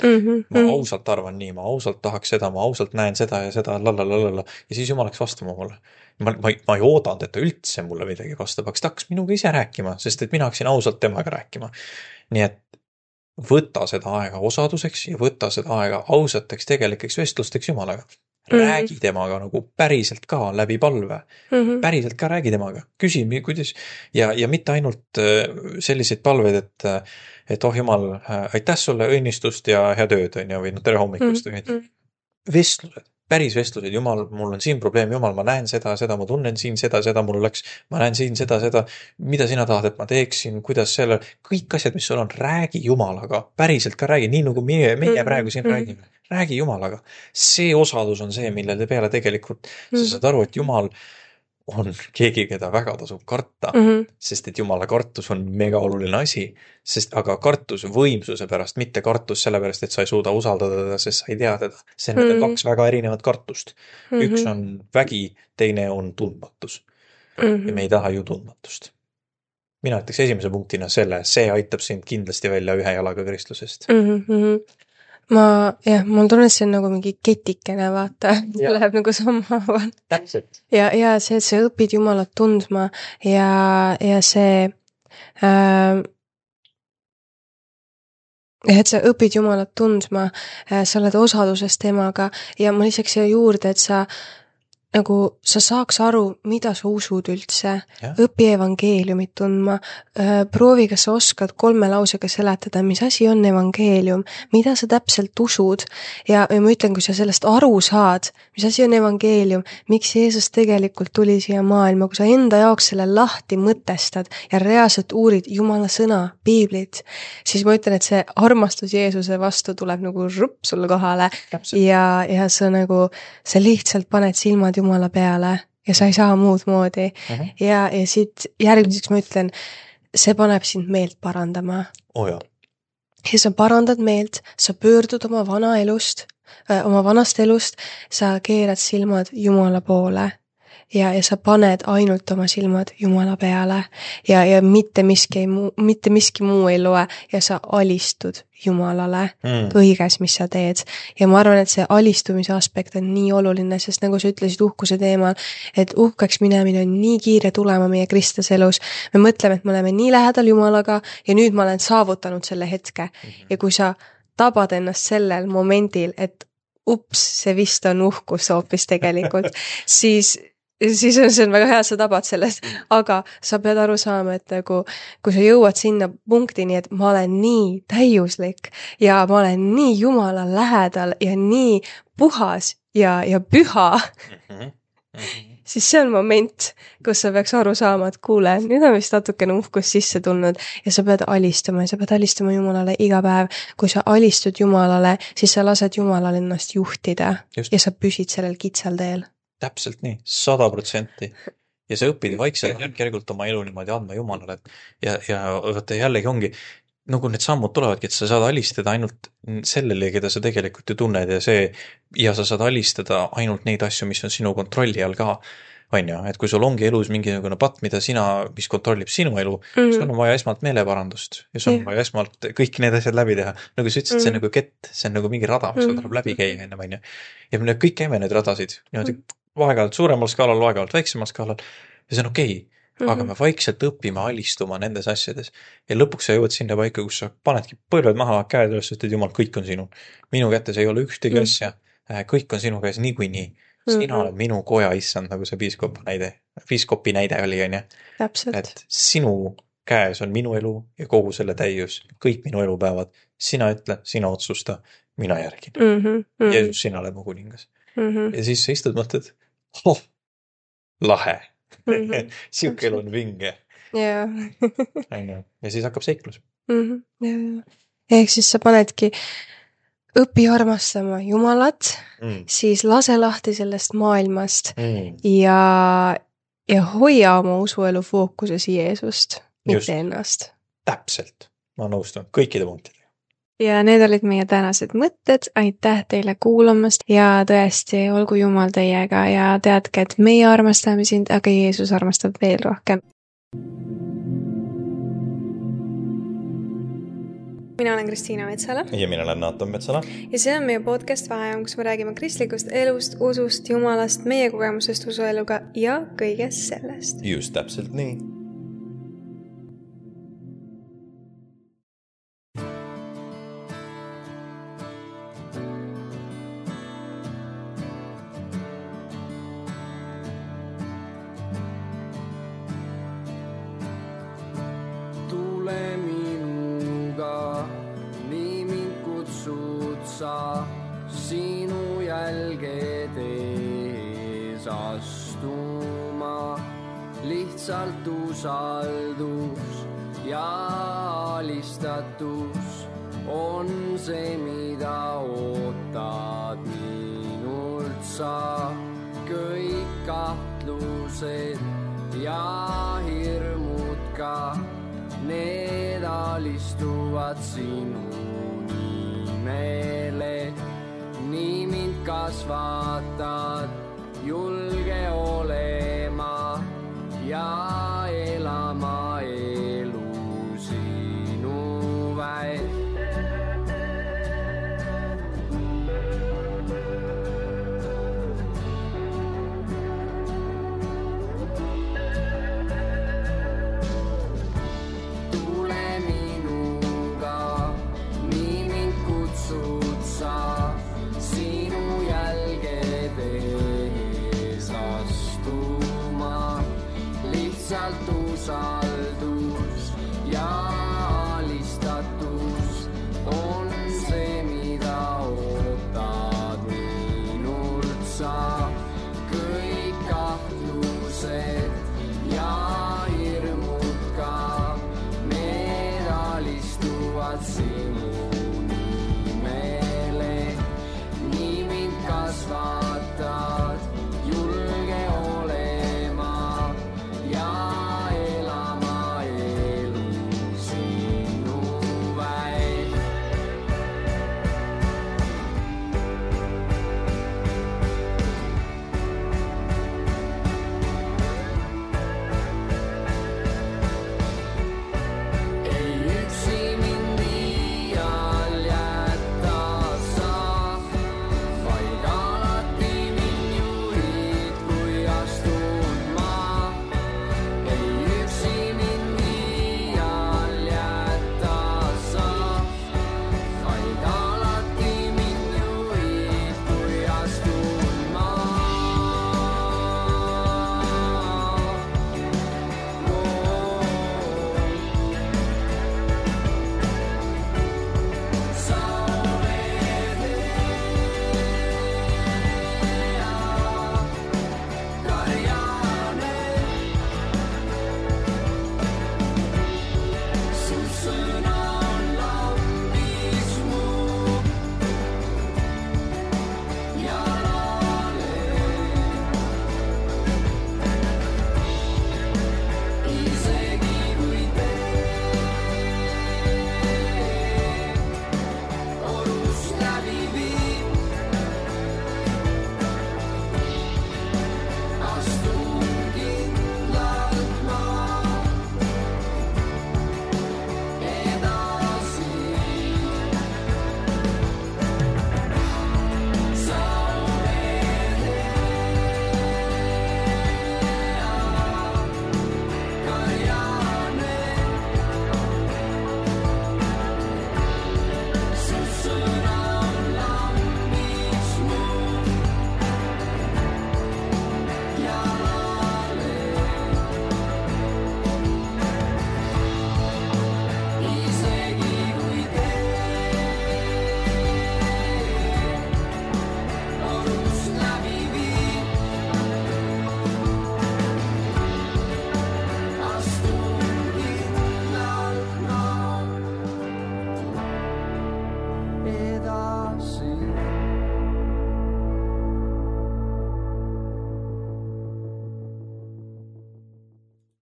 ma ausalt arvan nii, ma ausalt tahaks seda, ma ausalt näen seda ja seda, lalalala. Ja siis Jumal läks vastama mulle. Ma ei oodanud, et ta üldse mulle midagi vastab, aga ta hakkas minuga ise rääkima, sest et mina hakkasin ausalt temaga rääkima. Nii et võta seda aega osaduseks ja võta seda aega ausateks tegelikeks vestlusteks Jumalaga. Räägi temaga nagu päriselt ka läbi palve. Päriselt ka räägi temaga. Küsi, kuidas. Ja mitte ainult selliseid palveid, et oh Jumal, aitäh sulle õnnistust ja hea tööd on ja või tere hommikust. Vestlused, päris vestlused. Jumal, mul on siin probleem. Jumal, ma näen seda, ma tunnen siin seda, mul läks. Ma näen siin seda. Mida sina tahad, et ma teeksin, kuidas selle. Kõik asjad, mis sul on, räägi Jumalaga. Päriselt ka räägi, nii nagu meie praegu siin räägime. Räägi Jumalaga. See osadus on see, millele peale tegelikult sa saad aru, et Jumal on keegi, keda väga tasub karta, sest et Jumala kartus on mega oluline asi, aga kartus võimsuse pärast, mitte kartus selle pärast, et sa ei suuda usaldada teda, sest sa ei tea teda. See on 2 väga erinevat kartust. Üks on vägi, teine on tundmatus. Ja me ei taha ju tundmatust. Mina ütleks esimese punktina see aitab sind kindlasti välja 1 jalaga kristlusest. Mul tunne, see on nagu mingi ketikene, vaata, läheb nagu samaaval. Täpselt. Ja see, et sa õpid Jumalat tundma ja see, et sa õpid Jumalat tundma, sa oled osaduses temaga ja ma lisaks siia juurde, et sa saaks aru, mida sa usud üldse, õpi evangeeliumit tundma, proovi, kas sa oskad 3 lausega seletada, mis asi on evangeelium, mida sa täpselt usud ja ma ütlen, kui sa sellest aru saad, mis asi on evangeelium, miks Jeesus tegelikult tuli siia maailma, kui sa enda jaoks selle lahti mõtestad ja reaalselt uurid Jumala sõna, piiblit, siis ma ütlen, et see armastus Jeesuse vastu tuleb nagu rupp sulle kohale ja sa lihtsalt paned silmad Jumala peale ja sa ei saa muud moodi. Ja siit järgmiseks ma ütlen, see paneb sind meelt parandama. ja sa parandad meelt, sa pöördud oma vanast elust, sa keerad silmad Jumala poole ja sa paned ainult oma silmad Jumala peale ja mitte miski muu ei loe ja sa alistud Jumalale kõiges, mis sa teed. Ja ma arvan, et see alistumise aspekt on nii oluline, sest nagu sa ütlesid uhkuse teemal, et uhkeks minemine on nii kiire tulema meie kristlase elus. Me mõtleme, et me oleme nii lähedal Jumalaga ja nüüd ma olen saavutanud selle hetke. Ja kui sa tabad ennast sellel momendil, et see vist on uhkus hoopis tegelikult, siis see on väga hea, sa tabad sellest, aga sa pead aru saama, et nagu, kui sa jõuad sinna punktini, et ma olen nii täiuslik ja ma olen nii Jumala lähedal ja nii puhas ja püha, siis see on moment, kus sa peaks aru saama, et kuule, nüüd on vist natukene uhkus sisse tulnud ja sa pead alistama Jumalale iga päev. Kui sa alistud Jumalale, siis sa lased Jumalale ennast juhtida ja sa püsid sellel kitsal teel. Täpselt nii, 100%. Ja sa õpid vaikselt järgult oma elu niimoodi andma Jumalale. Ja vaata jällegi ongi, nagu need sammud tulevadki, et sa saad alistada ainult sellele, keda sa tegelikult ju tunned ja sa saad alistada ainult neid asju, mis on sinu kontrolli all ka. On ju, et kui sul ongi elus mingisugune patt, mis kontrollib sinu elu, sul on vaja esmalt meeleparandust ja sul on vaja esmalt kõik need asjad läbi teha. Nagu sa ütlesid, see on nagu kett, see on nagu mingi rada, mis tuleb läbi käia enne, on ju. Ja me kõik käime need radasid, niimoodi vaegalt suuremal skaalal, vaegalt väiksemal skaalal ja see on okei. Aga me vaikselt õpime alistuma nendes asjades ja lõpuks sa jõuad sinna paika, kus sa panedki põlved maha, käed üles, et Jumal, kõik on sinu. Minu kätes ei ole ühtegi asja, kõik on sinu käes niikuinii. Sina oled minu koja issand, nagu see piiskopi näide oli, on ju. Et sinu käes on minu elu ja kogu selle täius, kõik minu elupäevad. Sina ütle, sina otsusta, mina järgin. Jeesus, sina oled mu kuningas. Ja siis sa istud mõtled, lahe. Siuke elu on vinge. Ja siis hakkab seiklus. Ehk siis sa panedki õpi armastama Jumalat, siis lase lahti sellest maailmast ja hoia oma usuelu fookuses Jeesust, mitte ennast. Täpselt. Ma nõustun kõikide punktidega. Ja need olid meie tänased mõtted, aitäh teile kuulamast ja tõesti, olgu Jumal teiega ja teadke, et meie armastame sind, aga Jeesus armastab veel rohkem. Mina olen Kristiina Metsala. Ja mina olen Naatan Metsala. Ja see on meie podcast Vaheajam, kus me räägime kristlikust elust, usust, Jumalast, meie kogemusest usueluga ja kõigest sellest. Just täpselt nii. Sinu jälgede ees astuma, lihtsalt usaldus ja alistatus on see, mida ootad minult sa. Kõik kahtlused ja hirmud ka, need alistuvad sinu nimele. Nii mind kasvatad, julge olema ja elama elu sinu väed. Tule minuga, nii mind kutsud sa. Sinu jälgede ees astuma, lihtsalt usaldus ja alistatus on see, mida ootad minult sa. Kõik kahtlused